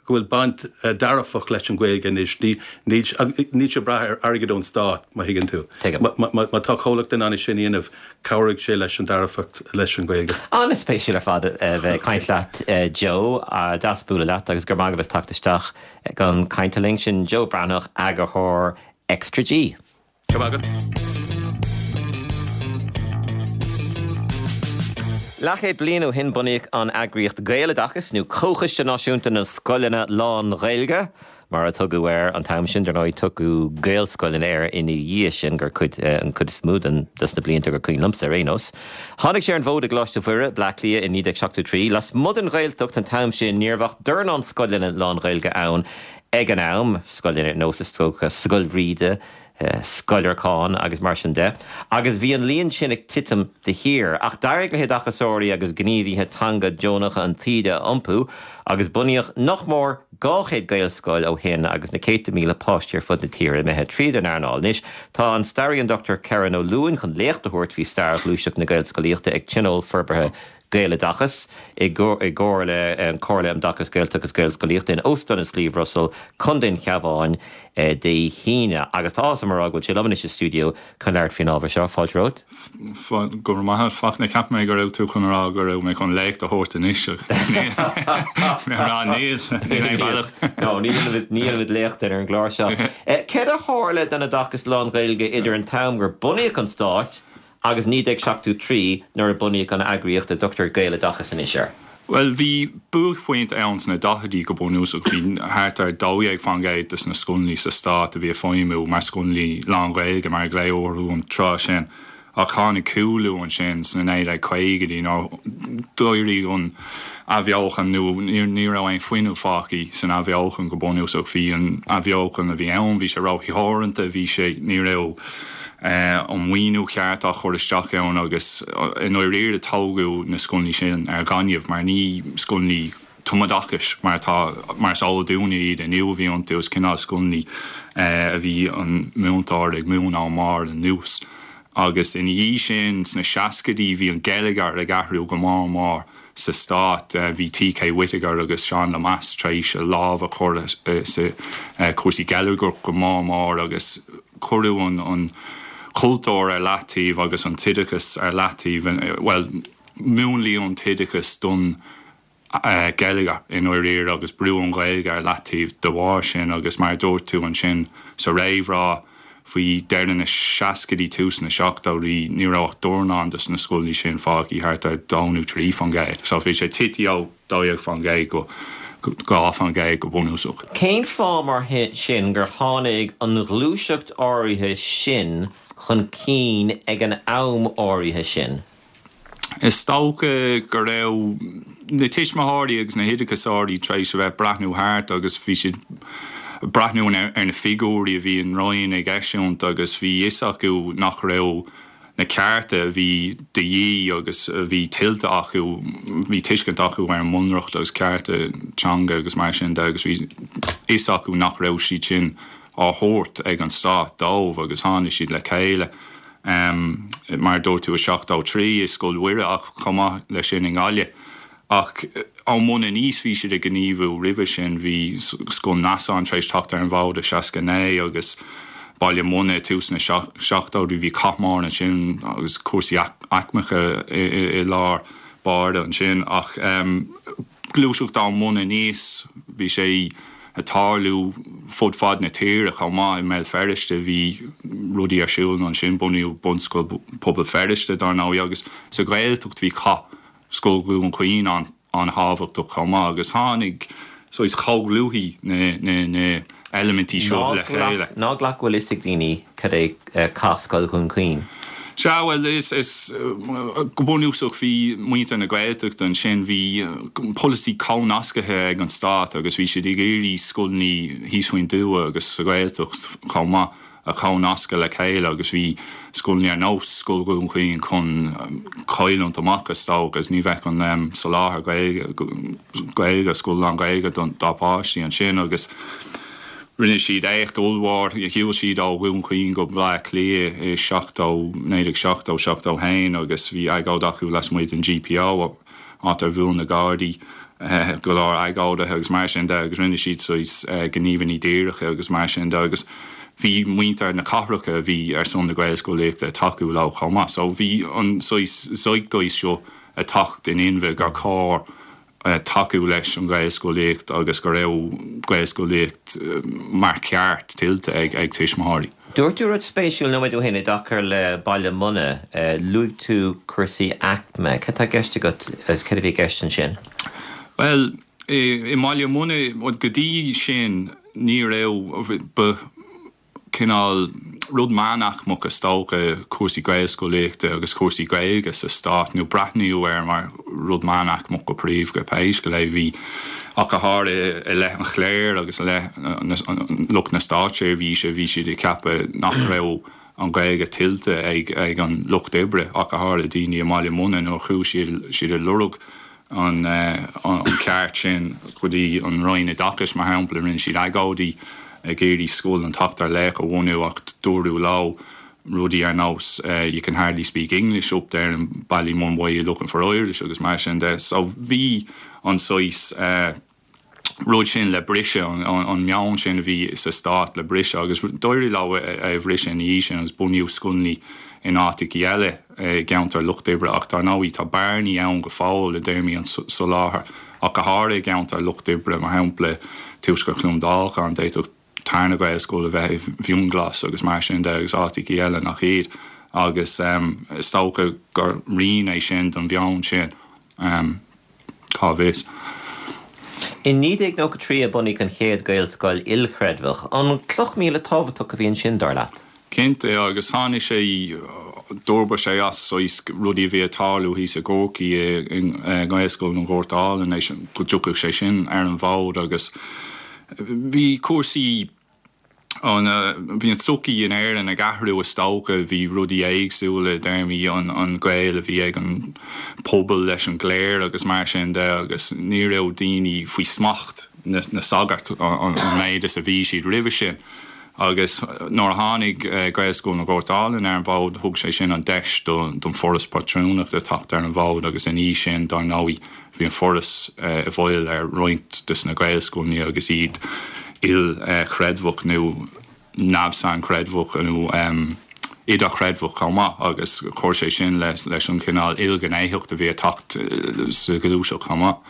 Speaker 5: go bhfuil baint dearfach leis an Ghaeilge anois. Ní níl níl sé ag brath ar airgead ón stát má thuigeann tú.
Speaker 1: Tuigim.
Speaker 5: Má má má tá comhlacht in ann é sin a dhéanamh Cabhróidh sé leis an dearfacht leis an Ghaeilge.
Speaker 1: An-spéisiúil ar fad a bheith ag caint leat Joe. Deas bualadh leat agus go raibh maith agat as teacht isteach chun cainte linn. Sin Joe Breathnach, eagarthóir Extra
Speaker 5: G. Go raibh maith agat.
Speaker 1: Leathchéad bliain ó shin bunaíodh an eagraíocht Gaeloideachas, nó Comhchoiste Náisiúnta na Scoileanna Lán-Ghaeilge. Mar a tugadh air an t-am sin, dar ndóigh, tugadh Gaelscoileanna air ina dhiaidh sin, gur cuid, an cuid is mó den, des na blianta gur cuimhin liomsa ar aon nós. Tháinig sé ar an bhfód i gColáiste Mhuire, Bleá Cliath i 1973. Lasmuigh den Ghaeltacht an t-am sin, ní raibh ach dornán scoileanna lán-Ghaeilge ann ag an am, scoileanna ar nós, is dócha, Scoil Bhríde, Scoil Lorcáin agus mar sin de, agus bhí an líon sin ag titim de shíor. Ach d'éirigh le hoideachasóirí agus gníomhaithe teanga deonacha an taoide a iompú agus bunaíodh nach mór 200 Gaelscoil ó shin agus na céadta míle páistí ar fud na tíre imithe tríd an earnáil. Anois tá an staraí an Dr Kerron Ó Luain chun léacht a thabhairt faoi stair ghluaiseacht na Gaelscolaíochta ag Tionól Forbartha Gaeloideachas i gcomhar le an Comhairle um Oideachas Gaeltachta agus Gaelscolaíochta in Óstán an Sliabh Russell, Contae an Chabháin, Dé hAoine. Agus tá áthas orm a rá go bhfuil sé liom anois sa stiúideo chun labhairt faoin ábhar seo. Fáilte romhat.
Speaker 6: Go raibh maith agat, Fachtna. Cheap mé go raibh tú chun a rá go raibh mé chun léacht a thabhairt anois ach níl mé a rá níl, níl aon bhealach.
Speaker 1: No, ní dhéanfaimid léacht ar an gclár seo. Céard a tharla don oideachas lán-Ghaeilge idir an t-am gur bunaíodh an stát agus 1973 nuair a bunaíodh an eagraíocht a dtugtar Gaeloideachas anois air.
Speaker 6: Bhuel, bhí buaicphointe ann sna daichidí go bunúsach. Bhí thart ar 12% de na scoileanna sa stát a bhí ag feidhmiú mar scoileanna lán-Ghaeilge, mar a glaodh orthu an tráth sin. Ach tháinig cúlú ansin sna 1950idí nuair d'éirigh an athbheochan nó ní raibh aon fuinneamh fágtha san athbheochan go bunúsach. Bhí an athbheochan a bhí ann, bhí sé rótheoranta, bhí sé, ní raibh. an maoiniú ceart á chur isteach ann agus i ndáiríre tógadh na scoileanna sin ar ghaineamh mar ní scoileanna tumoideachais mar atá, mar is eol dúinne iad inniu a bhí iontu, is cineál scoileanna a bhí an múinteoir ag múineadh ón mbarr anuas. Agus ina dhiaidh sin, sna seascaidí, bhí an geilleagar ag athrú go mór mór sa stát. Bhí T.K. Whitaker agus Seán Lemass tar éis a lámh a chur sa chúrsaí geilleagrach go mór mór agus cuireadh an cultúr ar leataobh agus an t-oideachas ar leataobh, bhuel, múnlaíodh an t-oideachas don geilleagar i ndáiríre agus brúdh an Ghaeilge ar leataobh de bharr sin agus mar a dúirt tú ansin sa réamhrá, faoi dheireadh na seascaidí, tús na seachtóidí, ní raibh ach dornán de na scoileanna sin fágtha, thart ar 2 nó 3%. So bhí sé tite ó 12% go 2% go bunúsach.
Speaker 1: Cén fáth mar sin gur tháinig an ghluaiseacht áirithe sin chun cinn ag an am áirithe sin?
Speaker 6: Is dócha go raibh na tuismitheoirí agus na hoideachasóirí tar éis a bheith ag breathnú thart agus bhí siad ag breathnú ar na figiúirí a bhí an Roinn ag eisiúint agus bhí fhios acu nach raibh na cearta a bhí de dhíth agus a bhí tuillte acu, bhí tuiscint acu ar an mBunreacht agus cearta teanga agus mar sin de agus bhí fhios acu nach raibh siad sin á thabhairt ag an stát dóibh agus tháinig siad le chéile. Mar a dúirt tú, i 73 i Scoil Mhuire ach chomh maith leis sin i nGaillimh. Ach ón mbun aníos bhí siad ag gníomhú roimhe sin, bhí Scoil Neasáin tar éis teacht ar an bhfód i 69 agus Baile Munna i tús na seachtóidí, bhí cath mór ansin agus cúrsaí aicmeacha i lár báire ansin. Ach gluaiseacht ón mbun aníos, bhí sé ag tarlú fud fad na tíre chomh maith. I mBéal Feirste bhí rudaí ar siúl ansin, bunaíodh Bunscoil Pobal Feirste dár ndóigh agus sa Ghaeltacht bhí cath Scoil Dhún Chaoin an-tábhachtach chomh maith agus tháinig saghas chomhdhlúthaigh na heilimintí seo le chéile.
Speaker 1: Ná glac go bhfuil fhios ag daoine cad é cath Scoil Dhún Chaoin.
Speaker 6: Sea, bhuel, is, is, go bunúsach bhí muintir na Gaeltachta ansin, bhí polasaí comhnascaithe ag an stát agus bhí siad ag iarraidh scoileanna thíos faoin dtuath agus sa Ghaeltacht chomh maith a chomhnascadh le chéile agus bhí scoileanna ar nós Scoil Dhún Chaoin chun cailliúint amach is dócha agus ní bheadh an soláthar Gaeilge, Gaeilge, scoil lán-Ghaeilge dá bpáistí ansin agus rinne siad éacht ollmhór, shiúil siad ó Dhún Chaoin go Baile Átha Cliath i 70, 1970, 71 agus bhí agóid acu lasmuigh den GPO. áit ar bhuail na Gardaí go leor agóidithe agus mar sin de agus rinne siad saghas gníomhanna díreacha agus mar sin de agus bhí muintir na cathracha a bhí ar son na Gaelscolaíochta ag tacú leo chomh maith. So bhí an saghas zeitgeist seo ag teacht in inmhe gur chóir tacú leis an Ghaelscolaíocht agus go raibh Gaelscolaíocht mar cheart tuillte ag tuismitheoirí.
Speaker 1: Dúirt tú rud spéisiúil nóiméad ó shin i dtaca le Baile Munna. Luaigh tú cúrsaí aicme. Cad tá i gceist agat agus cad a bhí i gceist ansin?
Speaker 6: Bhuel, i mBaile Munna, go dtí sin, ní raibh, ba cineál rud meánaicmeach is dócha cúrsaí Gaelscolaíochta agus cúrsaí Gaeilge sa stát, nó breathnaíodh air mar rud meánaicmeach go príomha, pé scéal é. Bhí. Ach go háirithe i leith an chléir agus i leith lucht na státseirbhíse, bhí siad ag ceapadh nach raibh an Ghaeilge tuillte ag an lucht oibre, ach go háirithe daoine i mBaile Munna nuair a chuaigh siad ag lorg an ceart sin go dtí an Roinn Oideachais, mar shampla. Rinne siad agóidí ag iarraidh Scoil an tSeachtar Laoch a bhunú ach dúradh leo rudaí ar nós you can hardly speak English up there in Ballymun, why are you looking for Irish agus mar sin de. So bhí an saghas rud sin le briseadh, an meon sin a bhí sa stát le briseadh agus d'éirigh leo é a bhriseadh ina dhiaidh sin agus bunaíodh scoileanna in áiteachaí eile i gceantair lucht oibre ach dar ndóigh tá bearnaí ann go fóill i dtéarmaí an soláthair ach go háirithe i gceantair lucht oibre, mar shampla tuaisceart Chluain Dolcáin, d'fhéadfadh tarna Gaelscoil a bheith i bhFionnghlas agus mar sin de agus áiteachaí eile nach iad agus is dócha gur rian é sin den mheon sin, cá bhfios.
Speaker 1: I 1993 a bunaíodh an chéad Ghaelscoil ilchreidmheach. An cloch míle tábhachtach a bhí ansin, dar leat?
Speaker 6: Cinnte, agus tháinig sé, d'fhorbair sé as saghas rudaí a bhí ag tarlú thíos i gCorcaigh i nGaelscoil an Ghoirt Álainn, go dtiocfadh sé sin ar an bhfód agus Bhí cúrsaí an, bhí an tsochaí in Éirinn ag athrú is dócha, bhí rudaí éagsúla i dtéarmaí an gaol a bhí ag an pobal leis an gcléir agus mar sin de agus ní raibh daoine faoi smacht na sagart an méid is a bhí siad roimhe sin. Agus nuair a tháinig Gaelscoil na nGort Álainn ar an bhfód, thug sé sin an deis don Foras Pátrúnachta teacht ar an bhfód agus ina dhiaidh sin, dar ndóigh, bhí an Foras i bhfeighil ar roinnt de na Gaelscoileanna agus iad ilchreidmheach nó neamh-sainchreidmheach nó idirchreidmheach chomh maith agus chuir sé sin leis an chineál ilghnéitheacht a bhí ag teacht sa ghluaiseacht chomh maith.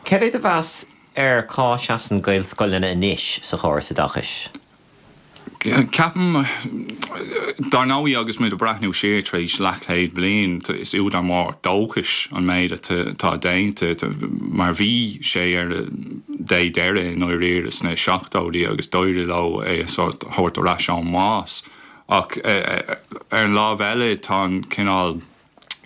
Speaker 1: Cad é do mheas ar cá seasann Gaelscoileanna anois sa chóras oideachais?
Speaker 6: Ceapaim, dar ndóigh agus muid ag breathnú siar tar éis leathchéad bliain, is údar mór dóchais an méid atá déanta mar bhí sé ar a dé deiridh i ndáiríre sna seachtóidí agus d'éirigh leo é a thabhairt ar ais ón mbás. Ach ar an lámh eile tá an cineál.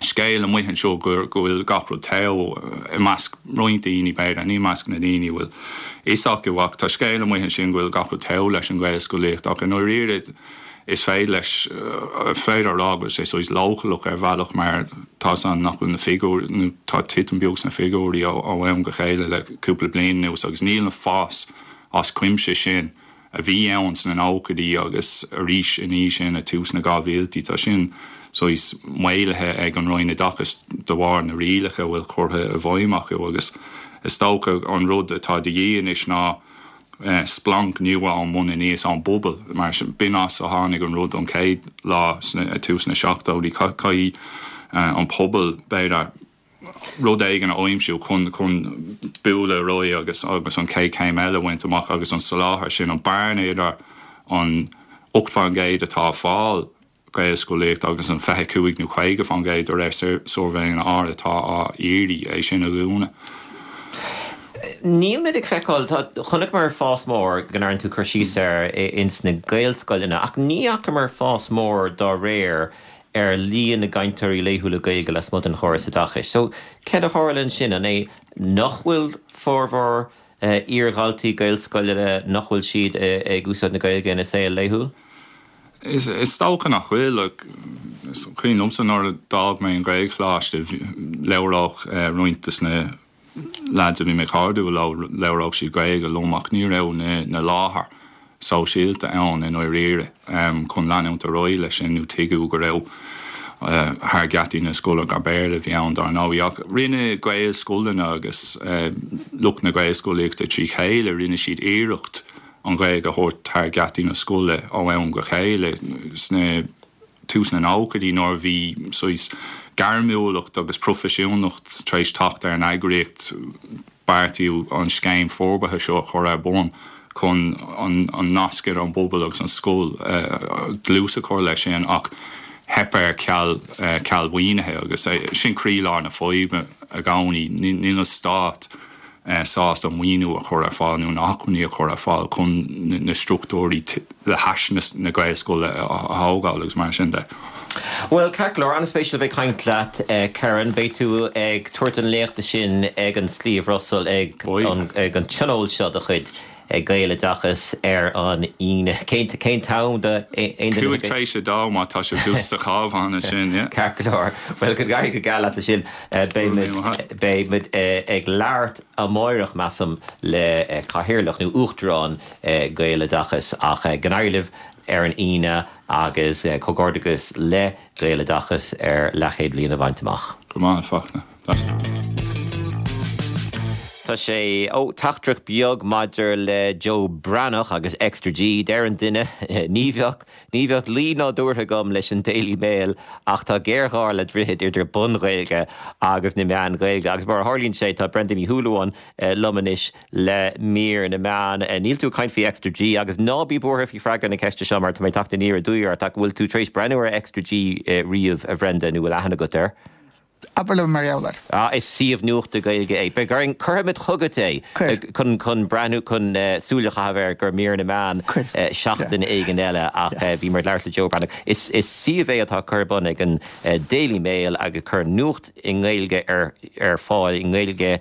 Speaker 6: scéal amuigh anseo go bhfuil gach rud togha i measc roinnt daoine, b'fhéidir, ní i measc na ndaoine a bhfuil fhios acu, ach tá scéal amuigh ansin go bhfuil gach rud togha leis an Ghaelscolaíocht ach i ndáiríre is féidir leis, féidir a rá go bhfuil sé saghas leochaileach ar bhealach mar tá's againn nach bhfuil na figiúirí, nó tá titim beag sna figiúirí ó am go chéile le cúpla bliain anuas agus níl an fás as cuimse sin a bhí ann sna nóchaidí agus arís ina dhiaidh sin ag tús na 2000idí. Tá sin saghas maolaithe ag an Roinn Oideachais de bharr na rialacha a bhfuil curtha i bhfeidhm acu agus is dócha an rud atá de dhíth anois ná splanc nua ón mbun aníos, ón bpobal, mar b'in as a tháinig an rud an chéad lá ag tús na seachtóidí. Caithfidh an pobal, b'fhéidir, rud éigin a aimsiú chun chun bualadh ar aghaidh agus agus an chéad chéim eile a bhaint amach agus an soláthar sin, an bearna idir an 8% atá ag fáil Gaelscolaíocht agus an 25 nó 50% de réir suirbhéanna áirithe atá á iarraidh, é sin a dhúnadh.
Speaker 1: Níl muid ag feiceáil, tá, chonaiceamar fás mór, go ndearna tú cur síos air, ins na Gaelscoileanna ach ní fhacamar fás mór dá réir ar líon na gcainteoirí laethúla Gaeilge lasmuigh den chóras oideachais. So, céard a tharla ansin? An é nach bhfuil formhór iar-dhaltaí Gaelscoileanna, nach bhfuil siad ag úsáid na Gaeilge ina saol laethúil?
Speaker 6: Is dócha nach bhfuil. Is cuimhin liomsa nuair a d'fhág mé an Ghaelcholáiste, labhródh roinnt de na leaids a bhí mé cairdiúil leo, labhródh siad Gaeilge liom ach ní raibh na láthair sóisialta ann i ndáiríre chun leanúint ar aghaidh leis sin nó tuigeadh go raibh thar gheataí na scoile gur Béarla a bhí ann dar ndóigh. Ach rinne Gaelscoileanna agus lucht na Gaelscolaíochta trí chéile, rinne siad iarracht an Ghaeilge a thabhairt thar gheataí na scoile ó am go chéile sna tús na nóchaidí nuair a bhí saghas gairmiúlacht agus proifisiúnacht tar éis teacht ar an eagraíocht, beartaíodh an scéim forbartha seo a chur ar bun chun an nasc idir an bpobal agus an scoil, dlús a chur leis sin ach theip air ceal ceal mhaoinithe agus sin croílár na faidhbe i gcónaí. Níl an stát sásta maoiniú a chur ar fáil nó na hacmhainní a chur ar fáil chun na struchtúirí le hais na Gaelscoile a thógáil agus mar sin de.
Speaker 1: Bhuel, ceart go leor, an-spéisiúil a bheith ag caint leat, Kerron. Beidh tú ag tabhairt an léachta sin ag an Sliabh Russell ag an tionól seo de chuid Gaeloideachas ar an Aoine. Cén cén t-am do
Speaker 6: aon duine? 2:05 tar éis má tá sibh thuas sa Chabhán ansin, yeah.
Speaker 1: Ceart go leor. Bhuel, go n-éirí go geal leat leis sin. Beidh muid beidh muid ag labhairt amáireach, measaim, le cathaoirleach nó uachtarán Gaeloideachas ach go n-éirí libh ar an Aoine agus comhghairdeachas le Gaeloideachas ar leathchéad bliain a bhaint amach.
Speaker 6: Go raibh maith agat, Fachtna.
Speaker 1: Tá sé, ó, teachtaireacht beag maidir le Joe Breathnach agus Extra G. Deir an duine, ní bheadh, ní bheadh luí nádúrtha agam leis an Daily Mail ach tá géarghá le droichead idir bunGhaeilge agus na meáin Ghaeilge. Agus mar a tharlaíonn sé, tá Brenda Ní Shúilleabháin liom anois le mír na meán. Níl tú ag caint faoi Extra G agus ná bí buartha faoi freagra na ceiste seo mar tá mé ag teacht aniar aduaidh ort ach an bhfuil tú tar éis breathnú ar Extra G riamh, a Bhrenda, nó bhfuil aithne agat air?
Speaker 7: Abair liom mar gheall air.
Speaker 1: Ah, is suíomh nuachta Gaeilge é. Beidh orainn, cuirfimid chugat é
Speaker 7: Cuir.
Speaker 1: chun, chun breathnú, chun súil a chaitheamh air go mír na meán
Speaker 7: Cuir.
Speaker 1: seachtain éigin eile ach bhíomar ag labhairt le Joe Breathnach. Is, is suíomh é atá curtha ar bun ag an Daily Mail agus cur nuacht i nGaeilge ar, ar fáil, i nGaeilge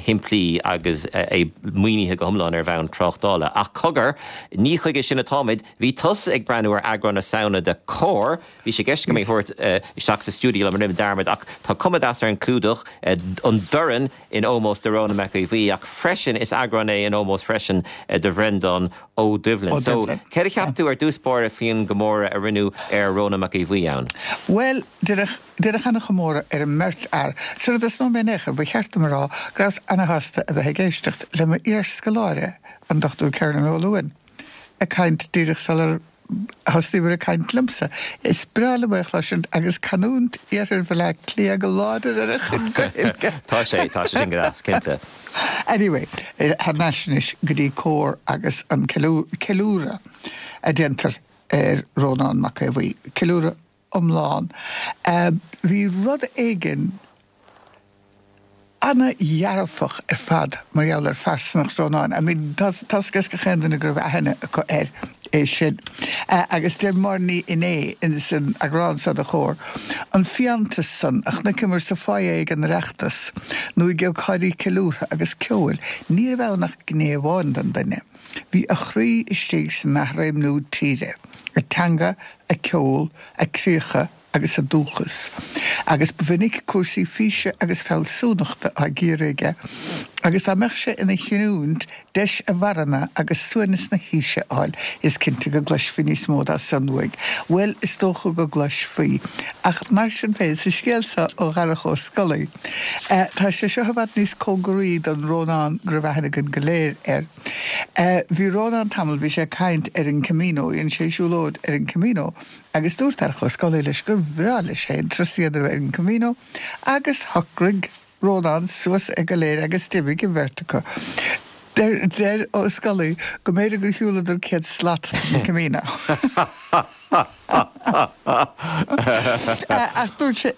Speaker 1: shimplí agus é maoinithe go hiomlán ar bhonn tráchtála. Ach cogar, ní chuige sin atáimid. Bhí tusa ag breathnú ar eagrán na Samhna de Comhar. Bhí sé i gceist agam é a thabhairt isteach sa stiúideo liom, rinne mé dearmad ach tá. Tá cuma deas ar an clúdach, an dorn in ómós do Rónán Mac Aodha Bhuí ach freisin is eagrán é in ómós freisin do Bhreandán Ó Doibhlin. So, céard a cheap tú ar dtús báire faoin gcomóradh a rinneadh ar Rónán Mac Aodha Bhuí ann?
Speaker 7: Bhuel, deineadh, deineadh ana-chomóradh ar an mbeirt fhear. Sara dtosnóidh mé in aon chor, ba cheart dom a rá go rabhas ana-shásta a bheith ag éisteacht le m'iarscoláire, an Dr Kernan Ó Luain, ag caint díreach sular thosnaíomar ag caint liomsa. Is breá liom é a chloisint agus canúint iarthar Bhaile Átha Cliath go láidir ar a chuid Gaeilge.
Speaker 1: Tá sé, tá sé sin go deas, cinnte.
Speaker 7: Anyway, thar n-ais anois go dtí Comhar agus an ceiliúradh a déantar ar Rónán Mac Aodha Bhuí. Ceiliúradh iomlán. Bhí rud éigin ana-dhearfach ar fad mar gheall ar phearsanacht Rónáin. I mean, tá tá's ag gach aon duine go raibh aithne acu air, é sin. Agus deir Máire Ní Fhinné ins an eagrán seo de Chomhar, an fiántas san a chonaiceamar sa foyer ag an Oireachtas nó ag ócáidí ceiliúrtha agus ceoil, ní raibh ann ach gné amháin den duine. Bhí a chroí istigh san athréimniú tíre, a teanga, a ceol, a críocha agus a dúchas, agus ba mhinic cúrsaí físe agus fealsúnachta á gcíoradh aige, agus dá mbeadh sé ina chinniúint deis a mharana agus suaimhneas na haoise a fháil, is cinnte go gcloisfí níos mó dá son uaidh. Bhuel, is dócha go gcloisfí. Ach mar sin féin, sa scéal seo ó Dharach Ó Scolaí, tá sé seo i bhfad níos cóngaraí don Rónán go raibh aithne againn go léir air. Bhí Rónán tamall, bhí sé ag caint ar an Camino, dhein sé siúlóid ar an Camino agus dúirt Darach Ó Scolaí leis gur bhreá leis féin turas a dhéanamh ar an Camino agus shocraigh Rónán suas é go léir agus d'imigh an bheirt acu. Deir Ó Scolaí go mb'fhéidir gur shiúladar 100 slat den Camino. Ach dúirt sé,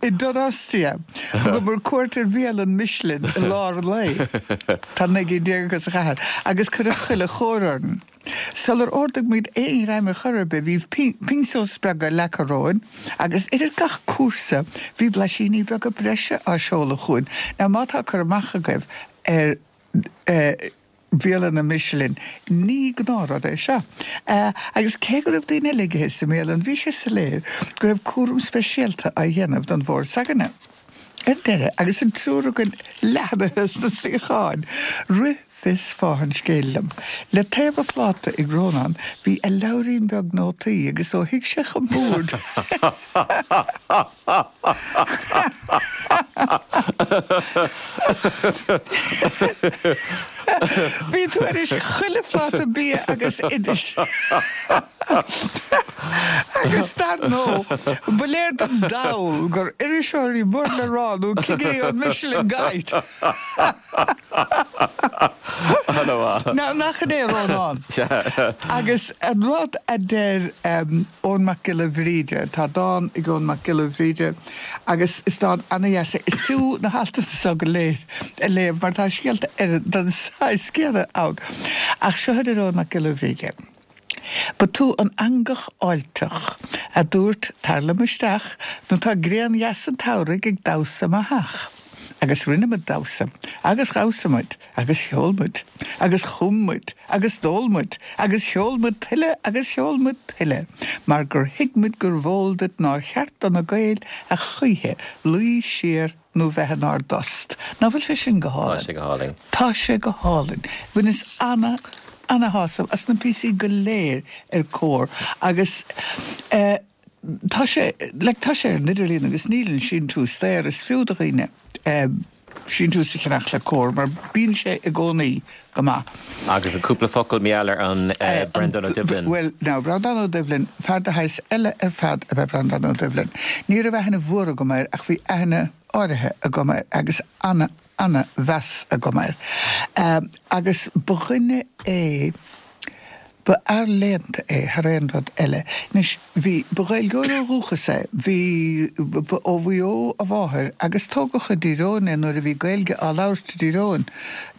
Speaker 7: i Donostia, thugamar cuairt ar bhialann Michelin i lár an lae, tá 19 gcinn acu sa chathair, agus cuireadh chuile chóir orainn. Sular ordaigh muid aon ghreim ar chor ar bith, bhí pintxos beaga leagtha romhainn, agus idir gach cúrsa, bhí blaisíní beaga breise á seoladh chugainn. Now, má tá cur amach agaibh ar. bialanna Michelin. Ní gnáthrud é seo. Agus cé go raibh daoine eile ag ithe sa mbialann, bhí sé soiléir go raibh cúram speisialta á dhéanamh don bhord s'againne. Ar deireadh, agus an triúr againn leathnaithe sna suíocháin, rith fios fáth an scéil liom. Le taobh a phláta ag Rónán, bhí a leabhairín beag nótaí agus ó shuigh sé chun boird, Bhí tuairisc chuile phláta bia agus oidis. Agus dar ndóigh, ba léir don dall gur iriseoirí mór le rá nó cigirí ón Michelin Guide. Now, nach in é Rónán? Agus an rud a deir Eoin Mac Giolla Bhríde, tá dán ag Eoin Mac Giolla Bhríde agus is dán ana-dheas é, is fiú na haltanna seo go léir a léamh mar tá scéalta ar den saghas céanna ann. Ach seo a deir Eoin Mac Giolla Bhríde. Ba tú an eangach fháilteach a dúirt tar liom isteach nó tá grian dheas an tsamhraidh ag damhsa i mo theach. Agus rinne muid damhsa, agus dhamhsa muid, agus cheol muid, agus chum muid, agus d'ól muid, agus cheol muid tuilleadh agus cheol muid tuilleadh, mar gur thuig muid gurbh eol duit nár cheart do na Gaeil a choíche luí siar nó bheith inár dtost. Ná fuil sé sin go
Speaker 1: hálainn? Tá sé go hálainn.
Speaker 7: Tá sé go hálainn. Bhaineas ana, ana-shásamh as na píosaí go léir ar Comhar agus eh tá sé, like tá sé ar an idirlíon agus níl an síntiús daor. Is fiú do dhaoine eh síntiús a cheannach le Comhar mar bíonn sé i gcónaí go maith.
Speaker 1: Agus cúpla focal mar gheall ar an Breandán Ó Doibhlin.
Speaker 7: Bhuel, now, Breandán Ó Doibhlin, fear de shaghas eile ar fad ab ea Breandán Ó Doibhlin. Ní raibh aithne mhór agam air ach bhí aithne áirithe agam air agus ana, ana mheas agam air. Agus ba dhuine é, Ba fhear léannta é thar aon rud eile. Anois, bhí, ba Ghaeilgeoir ó dhúchas é, bhí, ba ó Mhaigh Eo a mháthair agus tógadh i dTír Eoghain é nuair a bhí Gaeilge á labhairt i dTír Eoghain.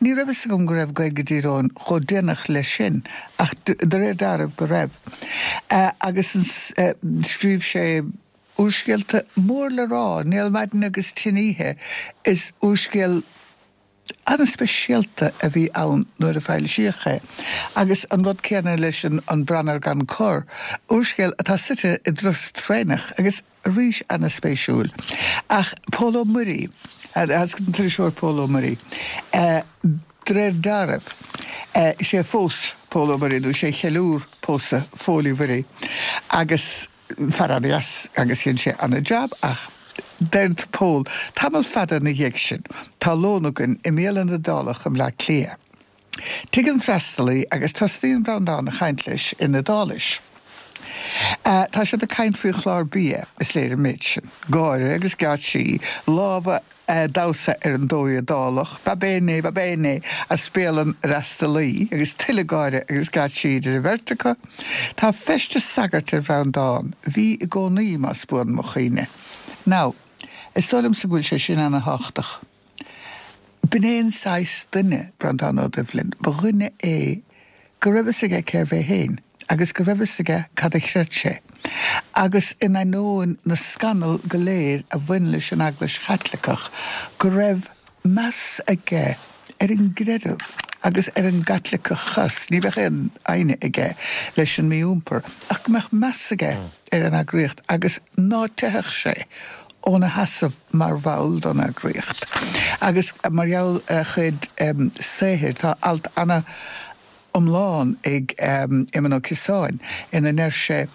Speaker 7: Ní raibh fhios agam go raibh Gaeilge i dTír Eoghain chomh déanach leis sin ach de réir dealraimh go raibh. Agus scríobh sé úrscéalta mór le rá, Néal Maidine agus Tinn Oíche, is úrscéal, an-speisialta a bhí ann nuair a foilsíodh é, agus an rud céanna leis An Branar Gan Cor, úrscéal atá suite i dturas traenach agus. Arís ana-spéisiúil. Ach Pól Ó Muirí, an t-iriseoir Pól Ó Muirí, de réir dealraimh, is é a phós Pól Ó Muirí, nó is é a cheiliúr pósadh Phóil Uí Mhuirí, agus fear ana-dheas agus dhein sé ana-jab ach deir Pól, tamall fada ina dhiaidh sin, tá lón againn i mbialann Iodálach i mBleá Cliath. Tig an freastalaí agus tosnaíonn Breandán a chaint leis in Iodáilis. Tá siad ag caint faoi chlár bia, is léir an méid sin. Gáire agus geáitsí, lámha a' damhsa ar an dóigh Iodálach, Va bene, va bene, as béal an fhreastalaí, agus tuilleadh gáire agus geáitsí idir an bheirt acu. Tá feisteas sagairt ar Bhreandán, bhí i gcónaí, más buan mo chuimhne. Now, is dóigh liomsa go bhfuil sé sin ana-thábhachtach. B'in é an saghas duine, Breandán Ó Doibhlin, ba dhuine é go raibh fhios aige cérbh é féin agus go raibh fhios aige cad a chreid sé. Agus in ainneoin na scannal go léir a bhain leis an Eaglais Chaitliceach, go raibh meas aige ar an gcreideamh agus ar an gCaitliceachas. Ní bheadh aon fhoighne aige leis an mí-iompar ach go mbeadh meas aige ar an eagraíocht agus ná teithfeadh sé óna sheasamh mar bhall don eagraíocht. Agus mar gheall ar a chuid saothair, tá alt ana-iomlán ag Éamonn Ó Ciosáin ina ndeir sé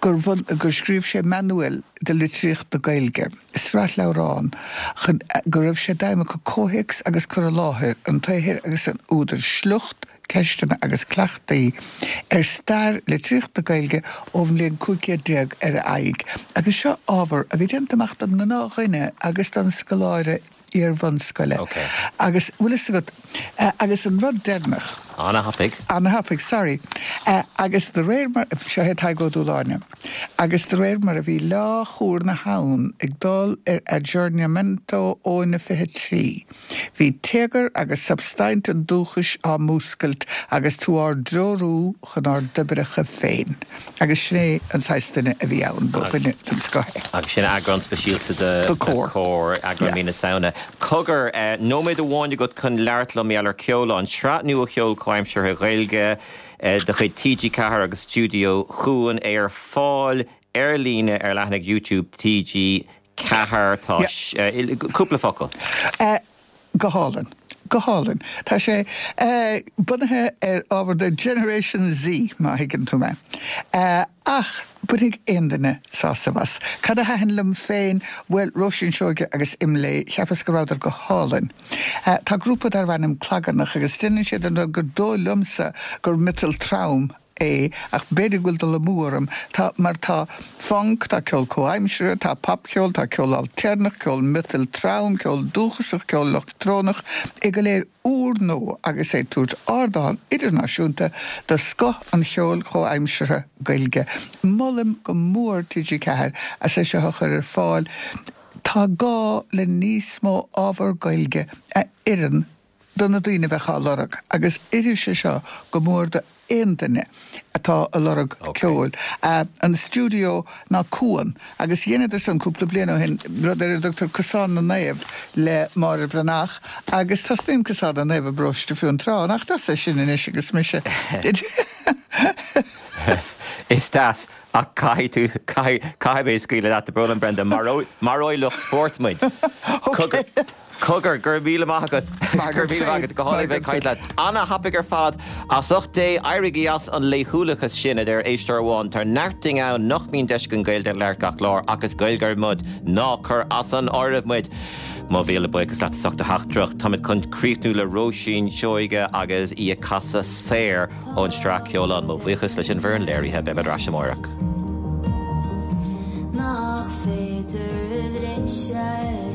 Speaker 7: gur gur scríobh sé manual de litríocht na Gaeilge, sraith leabhrán, chun go raibh sé d'aidhm acu comhthéacs agus cur i láthair an tsaothair agus an údair, sliocht, ceisteanna agus cleachtaí ar stair litríocht na Gaeilge ón bhliain 1500 ar aghaidh, agus seo ábhar a bhí déanta amach don ngnáthdhuine agus don scoláire iar-bhunscoile. Agus, bhfuil fhios agat, agus an rud deireanach.
Speaker 1: Ana-thapaidh.
Speaker 7: Ana-thapaidh, sorry. Agus de réir mar, seo é Tadhg Ó Dúshláine, agus de réir mar a bhí leá chúr na habhann ag dul ar aggiornamento óna 23, Bhí téagar agus substaint an dúchais á múscailt agus tú ár dtreorú chun ár dtoibreacha féin. Agus sin é an saghas duine a bhí ann, ba dhuine den scoth é.
Speaker 1: Agus sin eagrán speisialta de Comhar, eagrán mí na Samhna. Cogar, nóiméad amháin agat chun labhairt liom mar gheall ar Ceolán, sraith nua cheoil chomhaimseartha Ghaeilge de chuid TG4 agus Stiúideo Cuan, é ar fáil ar líne ar leathanaigh YouTube TG4. Tá cúpla focal.
Speaker 7: Go hálainn. Go hálainn. Tá sé bunaithe ar ábhar do Generation Z, má thuigeann tú mé. Ach bainfidh aon duine sásamh as. Cad a thaitin liom féin? Bhuel, Róisín Seoige agus Imlé, cheapas go rabhadar go hálainn. Tá grúpa darbh ainm Clagarnach agus déanann siad an rud gur dóigh liomsa gur miotal trom é, ach b'fhéidir go bhfuil dul amú orm, tá, mar tá func, tá ceol comhaimseartha, tá popcheol, tá ceol ailtéarnach, ceol miotail trom, ceol dúchasach, ceol leictreonach, é go léir úrnua agus é ag tabhairt ardán idirnáisiúnta do scoth an cheoil chomhaimseartha Gaeilge. Molaim go mór TG4 as é seo a chur ar fáil. Tá gá le níos mó ábhar Gaeilge a oireann do na daoine a bheadh á lorg agus oirfidh sé seo go mór do aon duine atá ag lorg ceoil. An stiúideo ná Cuan agus dheineadar san cúpla bliain ó shin rud ar a dtugtar Cosán na Naomh le Máire Breathnach agus tosnaíonn Cosán na Naomh i bparóiste Fionntrá. Nach deas é sin anois agus mise
Speaker 1: Is deas ach caithfidh tú, caithfidh, caithfidh mé scaoileadh leat, tá brón orm Brenda, maróidh lucht spóirt muid.
Speaker 7: Ok.
Speaker 1: Cogar, go raibh míle maith agat. Go raibh míle maith agat. Go hálainn bheith ag caint leat. Ana-thapaidh ar fad. As ucht Dé, éirígí as an laethúlachas sin, a deir éisteoir amháin. Tá neart dínn ann nach mbíonn deis againn Gaeilge a labhairt gach lá, ach is Gaeilgeoirí muid. Ná cuir as an áireamh muid. Mo mhíle buíochas leat as ucht do theachtaireacht. Táimid chun críochnú le Róisín Seoige agus í ag casadh Saor. Ón tsraith Ceolán, mo bhuíochas leis an bhfoireann léirithe, beimid ar ais amárach.
Speaker 8: Nach féidir a bhriseadh.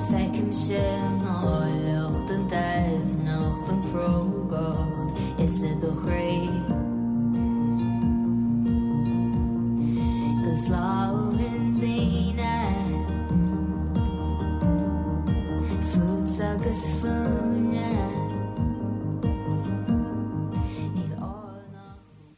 Speaker 8: Feicimse an áilleacht, an doimhneacht, an crógacht is i do chroí. Go slán.